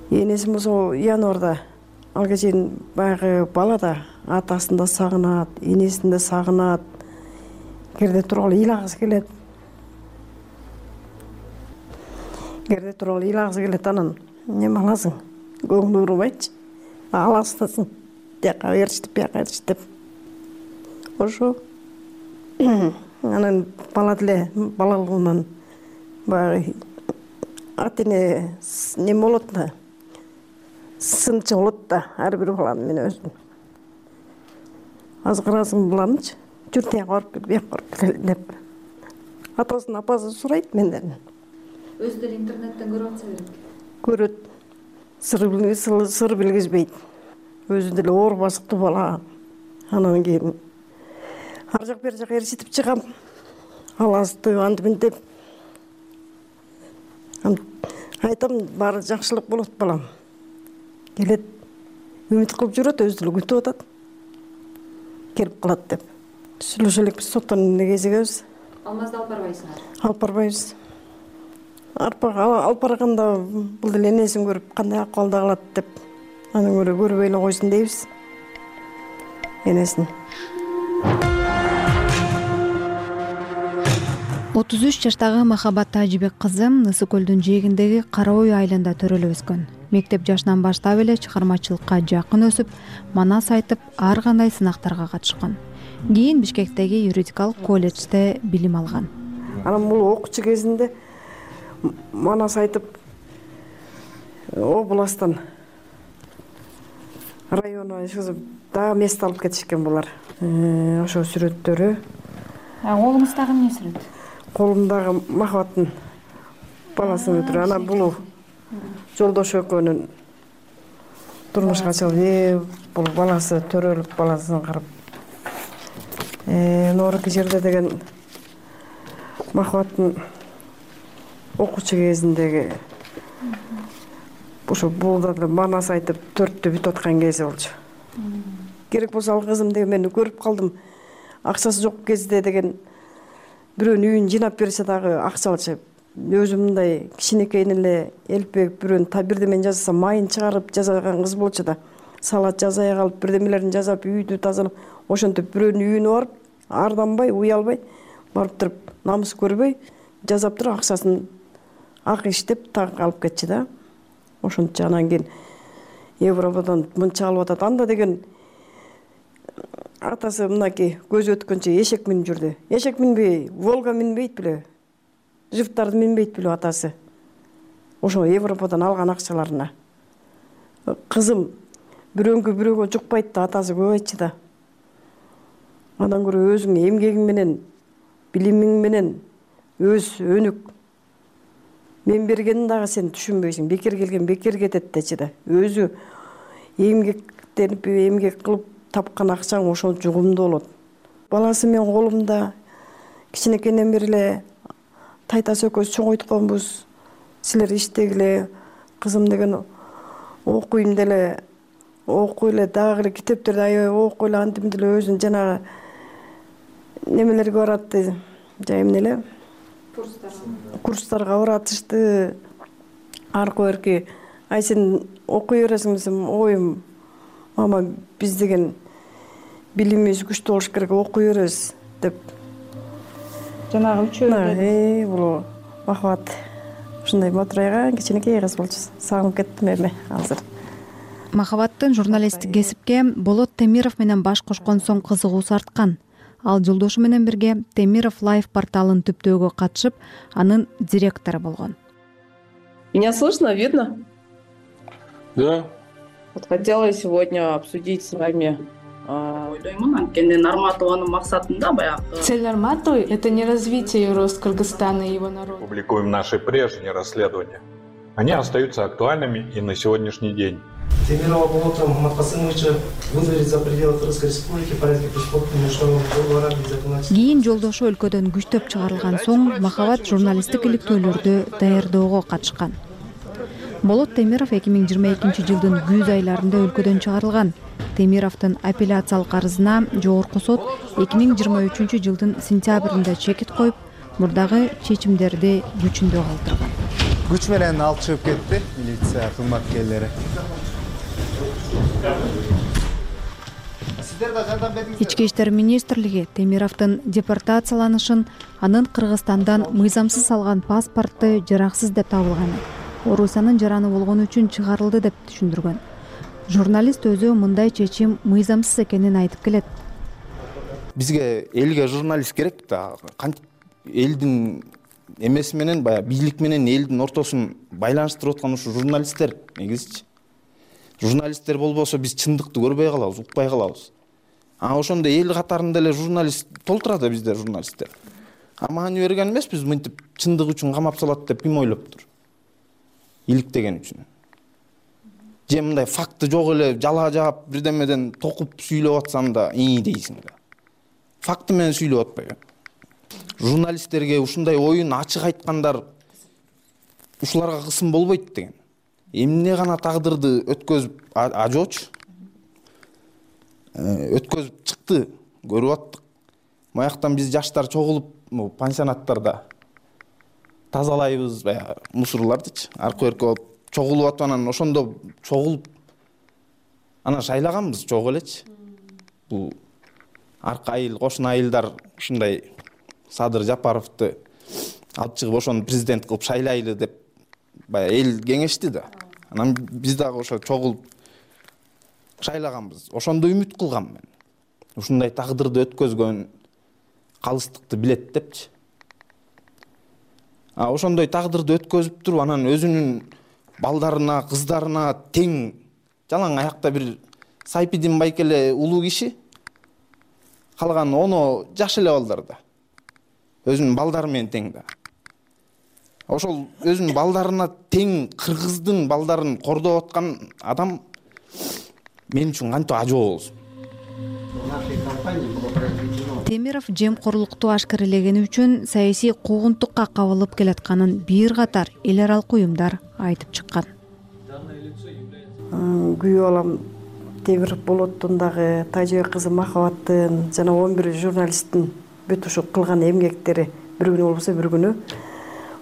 Speaker 7: Энесим болсо январда. Алга чейин баягы бала да атасын да сагынат, энесин да сагынат. Керде тургалы ыйлагысы келет. Керде тургалы ыйлагысы келет, анан неме аласың? Көңүл урубайчы. Аласың. Жака бериш деп, жака бериш деп. Ошо. Анан бала деле балалыгынан баягы ата-эне неме болот да. Сынчы болот да, ар бир баланын мен өзүм. Азыр карасың буланычы. Жүр тияга барып кел, бияка барып кел деп. Атасын апасы сурайт менден.
Speaker 15: Өзү деле интернеттен көрүп атса керек.
Speaker 7: Көрөт. Сыр билгиз, сыр билгизбейт. Өзү деле оор басыктуу бала. Анан кийин ар жак бер жак ээрчитип чыгам. Аласты антип деп. Айтам, баары жакшылык болот балам. Келет. Үмүт кылып жүрөт, өзү деле күтүп атат. Келип калат деп. Сүйлөшө элекпиз, соттон эмне кезигебиз.
Speaker 4: алмазды алып барбайсыңар?
Speaker 7: Алып барбайбыз. Алып барганда бул деле энесин көрүп кандай акыбалда калат деп анан көрө көрбөй эле койсун дейбиз энесин.
Speaker 15: отуз үч жаштагы Махабат Тажибек кызы Ысык көлдүн жээгиндеги Кара Ой айылында төрөлүп өскөн. Мектеп жашынан баштап эле чыгармачылыкка жакын өсүп, манас айтып, ар кандай сынактарга катышкан. Кийин Бишкектеги юридикалык колледжде билим алган.
Speaker 7: Анан бул окуучу кезинде манас айтып областтан районуна чыгып дагы место алып кетишкен булар. Ошо сүрөттөрү.
Speaker 4: Колуңуздагы эмне сүрөт?
Speaker 7: Колумдагы Махабаттын баласын өтүрүп, анан бул жолдош экөөнүн турмушка чыгып, бул баласы төрөлүп баласын карап. Э, норки жерде деген Махабаттын окуучу кезиндеги ошо булда да манас айтып төрттү бүтүп аткан кези болчу. Керек болсо ал кызым деген мен көрүп калдым. Акчасы жок кезде деген бирөөнүн үйүн жыйнап берсе дагы акча алчу. Өзү мындай кичинекейин эле элпек бирөөнүн та бирдемен жасаса майын чыгарып жасаган кыз болчу да. Салат жасай калып бирдемелерин жасап үйдү тазалап ошентип бирөөнүн үйүнө барып арданбай, уялбай барып туруп намыс көрбөй жасап туруп акчасын ак иштеп так алып кетчү да. Ошончо анан кийин Европадан мынча алып атат. Анда деген атасы мынакей көзү өткөнчө эшек минип жүрдү. Эшек минбей, Волга минбейт беле. Жифтарды минбейт беле атасы. Ошо Европадан алган акчаларына. Кызым бирөөнгө бирөөгө жукпайт да атасы көп айтчу да. Андан көрө өзүң эмгегиң менен, билимиң менен өз өнүк. Мен бергенин дагы сен түшүнбөйсүң. Бекер келген бекер кетет дечи да. Өзү эмгектенип, эмгек кылып тапкан акчаң ошол жугумдуу болот. Баласы мен колумда кичинекейинен бери эле тайтасы экөөбүз чоңойтконбуз. Силер иштегиле, кызым деген окуйм деле, окуй эле дагы эле китептерди аябай окуй эле антип деле өзүн жанагы немелерге барат, жай эмне эле курстарга баратышты. Аркы берки ай сен окуй бересиң десем, ой мама биз деген билимибиз күчтүү болуш керек, окуй беребиз деп.
Speaker 4: Жанагы үчөө
Speaker 7: Э, бул Махабат ушундай мотурайган кичинекей кыз болчу. Сагынып кеттим эми азыр.
Speaker 15: Махабаттын журналисттик кесипке Болот Темиров менен баш кошкон соң кызыгуусу арткан. Ал жолдошу менен бирге Темиров Лайф порталын түптөөгө катышып, анын директору болгон.
Speaker 8: Меня слышно, видно?
Speaker 18: Да.
Speaker 8: Вот хотела сегодня обсудить с вами ойдоймун анткени Нарматованын максатында баягы.
Speaker 5: Цель Нарматовой — это не развитие и рост Кыргызстана и его народа.
Speaker 11: Публикуем наши прежние расследования. Они остаются актуальными и на сегодняшний день.
Speaker 12: Темирова Болота Мухаммадкасымовича выдворить за пределы Кыргызской республики порядка преступного международного договора без законодательства.
Speaker 15: Кийин жолдошу өлкөдөн күчтөп чыгарылган соң Махабат журналисттик иликтөөлөрдү даярдоого катышкан. Болот Темиров эки миң жыйырма экинчи жылдын күз айларында өлкөдөн чыгарылган. Темировдун апелляциялык арызына жогорку сот эки миң жыйырма үчүнчү жылдын сентябрында чекит коюп, мурдагы чечимдерди күчүндө калтырган.
Speaker 13: Күч менен алып чыгып кетти милиция кызматкерлери.
Speaker 15: Ички иштер министрлиги Темировдун депортацияланышын, анын Кыргызстандан мыйзамсыз алган паспорту жараксыз деп табылган. Орусиянын жараны болгон үчүн чыгарылды деп түшүндүргөн. Журналист өзү мындай чечим мыйзамсыз экенин айтып келет.
Speaker 14: Бизге элге журналист керек да. Кантип элдин эмеси менен баягы бийлик менен элдин ортосун байланыштырып аткан ушу журналисттер негизичи. Журналисттер болбосо биз чындыкты көрбөй калабыз, укпай калабыз. А ошондо эл катарында эле журналист толтурат бизде журналисттер. А маани берген эмеспиз мынтип чындык үчүн камап салат деп ким ойлоптур? Иликтеген үчүн. Же мындай факты жок эле жала жаап бирдемеден токуп сүйлөп атсам да ии дейсиң да. Факты менен сүйлөп атпайбы? Журналисттерге ушундай оюн ачык айткандар ушуларга кысым болбойт деген. Эмне гана тагдырды өткөзүп ажоочу. Өткөзүп чыкты, көрүп аттык. Маяктан биз жаштар чогулуп могу пансионаттарда тазалайбыз баягы мусорлардычы аркы берки болуп чогулуп атып, анан ошондо чогулуп анан шайлаганбыз чогуу элечи. Бул аркы айыл, кошуна айылдар ушундай Садыр Жапаровду алып чыгып ошону президент кылып шайлайлы деп баягы эл кеңешти да. Анан биз дагы ошо чогулуп шайлаганбыз. Ошондо үмүт кылгам мен. Ушундай тагдырды өткөзгөн калыстыкты билет депчи. А ошондой тагдырды өткөзүп туруп анан өзүнүн балдарына, кыздарына тең жалаң аякта бир Сайпидин Байкеле улуу киши, калган оно жаш эле балдар да. Өзүнүн балдары менен тең да. Ошол өзүнүн балдарына тең кыргыздын балдарын кордоп аткан адам мен үчүн кантип ажоо болсун.
Speaker 15: Темиров жемкорлукту ашкарелегени үчүн саясий куугунтукка кабылып келатканын бир катар эл аралык уюмдар айтып чыккан.
Speaker 7: Күйөө балам Темиров Болоттун дагы Тажыбек кызы Махабаттын жана он бир журналисттин бүт ушу кылган эмгектери бир күнү болбосо бир күнү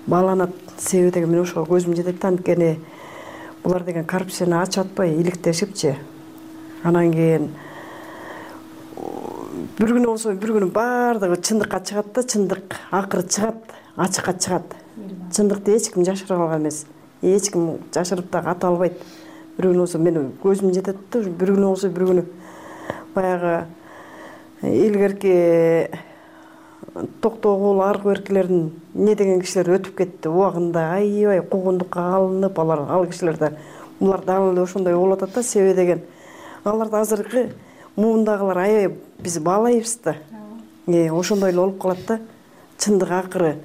Speaker 7: бааланат. Себеби деген мен ошого көзүм жетет. Анткени булар деген коррупцияны ачып атпай иликтешипчи. Анан кийин бир күнү болсо бир күнү баардыгы чындыкка чыгат да, чындык акыры чыгат, ачыкка чыгат. Чындыкты эч ким жашыра алган эмес. Эч ким жашырып дагы ата албайт. Бир күнү болсо мен көзүм жетет да, бир күнү болсо бир күнү баягы илгерки токтогул аркы беркилердин не деген кишилер өтүп кетти. Убагында аябай куугунтукка алынып, алар ал кишилер да булар дагы эле ошондой болуп атат да. Себеби деген аларды азыркы муундагылар аябай биз баалайбыз да. Э, ошондой эле болуп калат да. Чындык акыры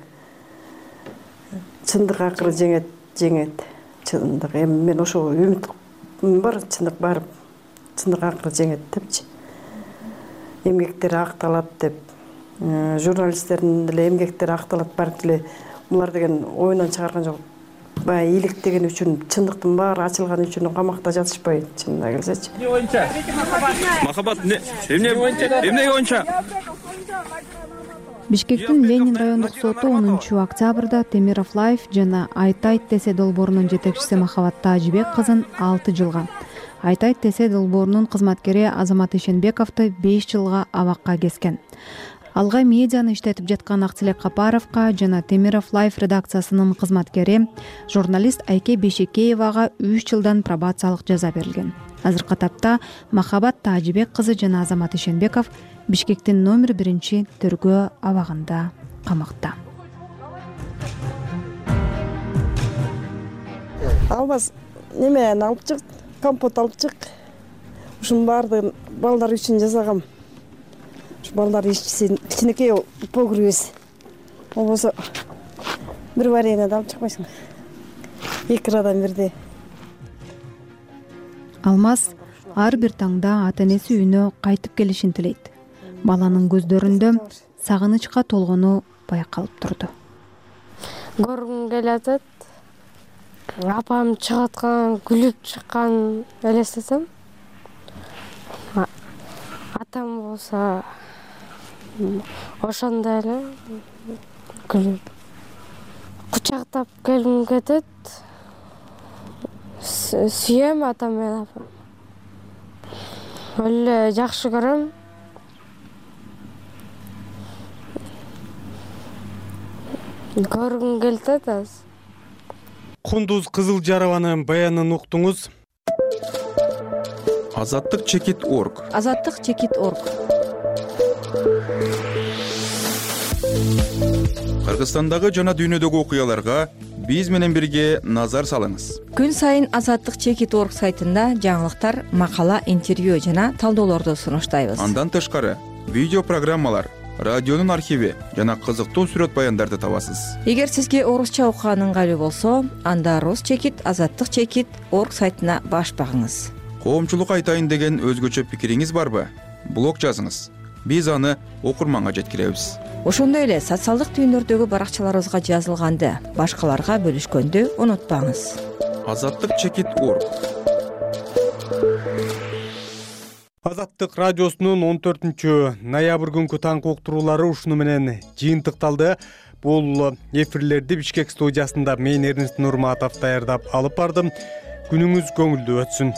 Speaker 7: чындык акыры жеңет, жеңет. Чындык эми мен ошого үмүтүм бар, чындык барып чындык акыры жеңет депчи. Эмгектери акталат деп, журналисттердин деле эмгектери акталат барып эле булар деген оюнан чыгарган жок. Баягы иликтеген үчүн, чындыктын баары ачылган үчүн камакта жатышпайт, чынына келсечи.
Speaker 9: Эмне боюнча? Махабат эмне эмнеге боюнча?
Speaker 15: Бишкектин Ленин райондук соту онунчу октябрда Темиров Лайф жана Айтайт Тесе долбоорунун жетекчиси Махабат Тажыбек кызын алты жылга, Айтайт Тесе долбоорунун кызматкери Азамат Ишенбековду беш жылга абакка кескен. Алга медианы иштетип жаткан Актилек Капаровго жана Темиров Лайф редакциясынын кызматкери журналист Айке Бешекеевага үч жылдан пробациялык жаза берилген. Азыркы тапта Махабат Тажыбек кызы жана Азамат Ишенбеков Бишкектин номер биринчи тергөө абагында камакта.
Speaker 7: Албас неме алып чык, компот алып чык. Ушунун баардыгын балдар үчүн жасагам. Ушу балдар ичсин, кичинекей погребиз. Болбосо бир варенье алып чыкпайсың. Эки ырадан бирди.
Speaker 15: Алмаз ар бир таңда ата-энеси үйүнө кайтып келишин тилейт. Баланын көздөрүндө сагынычка толгону байкалып турду.
Speaker 5: Көргүм келатат. Апам чыгып аткан, күлүп чыккан элестетем. Атам болсо ошондой эле күлүп кучактап келгим кетет. Сүйөм атам менен апам. Өлө жакшы көрөм. Көргүм келет азыр.
Speaker 1: Кундуз Кызылжарованын баянын уктуңуз.
Speaker 16: Азаттык чекит орг.
Speaker 19: Азаттык чекит орг.
Speaker 16: Кыргызстандагы жана дүйнөдөгү окуяларга биз менен бирге назар салыңыз.
Speaker 19: Күн сайын Азаттык чекит орг сайтында жаңылыктар, макала, интервью жана талдоолорду сунуштайбыз.
Speaker 16: Андан тышкары видео программалар, радионун архиви жана кызыктуу сүрөт баяндарды табасыз.
Speaker 19: Эгер сизге орусча окуган ыңгайлуу болсо, анда Рус чекит, Азаттык чекит орг сайтына баш багыңыз.
Speaker 16: Коомчулук айтайын деген өзгөчө пикириңиз барбы? Блог жазыңыз. Биз аны окурманга жеткиребиз.
Speaker 19: Ошондой эле социалдык түйүндөрдөгү баракчаларыбызга жазылганды башкаларга бөлүшкөндү унутпаңыз.
Speaker 16: Азаттык чекит орг.
Speaker 1: Азаттык радиосунун он төртүнчү ноябрь күнкү таңкы уктуруулары ушуну менен жыйынтыкталды. Бул эфирлерди Бишкек студиясында мен Эрнест Нурматов даярдап алып бардым. Күнүңүз көңүлдүү өтсүн.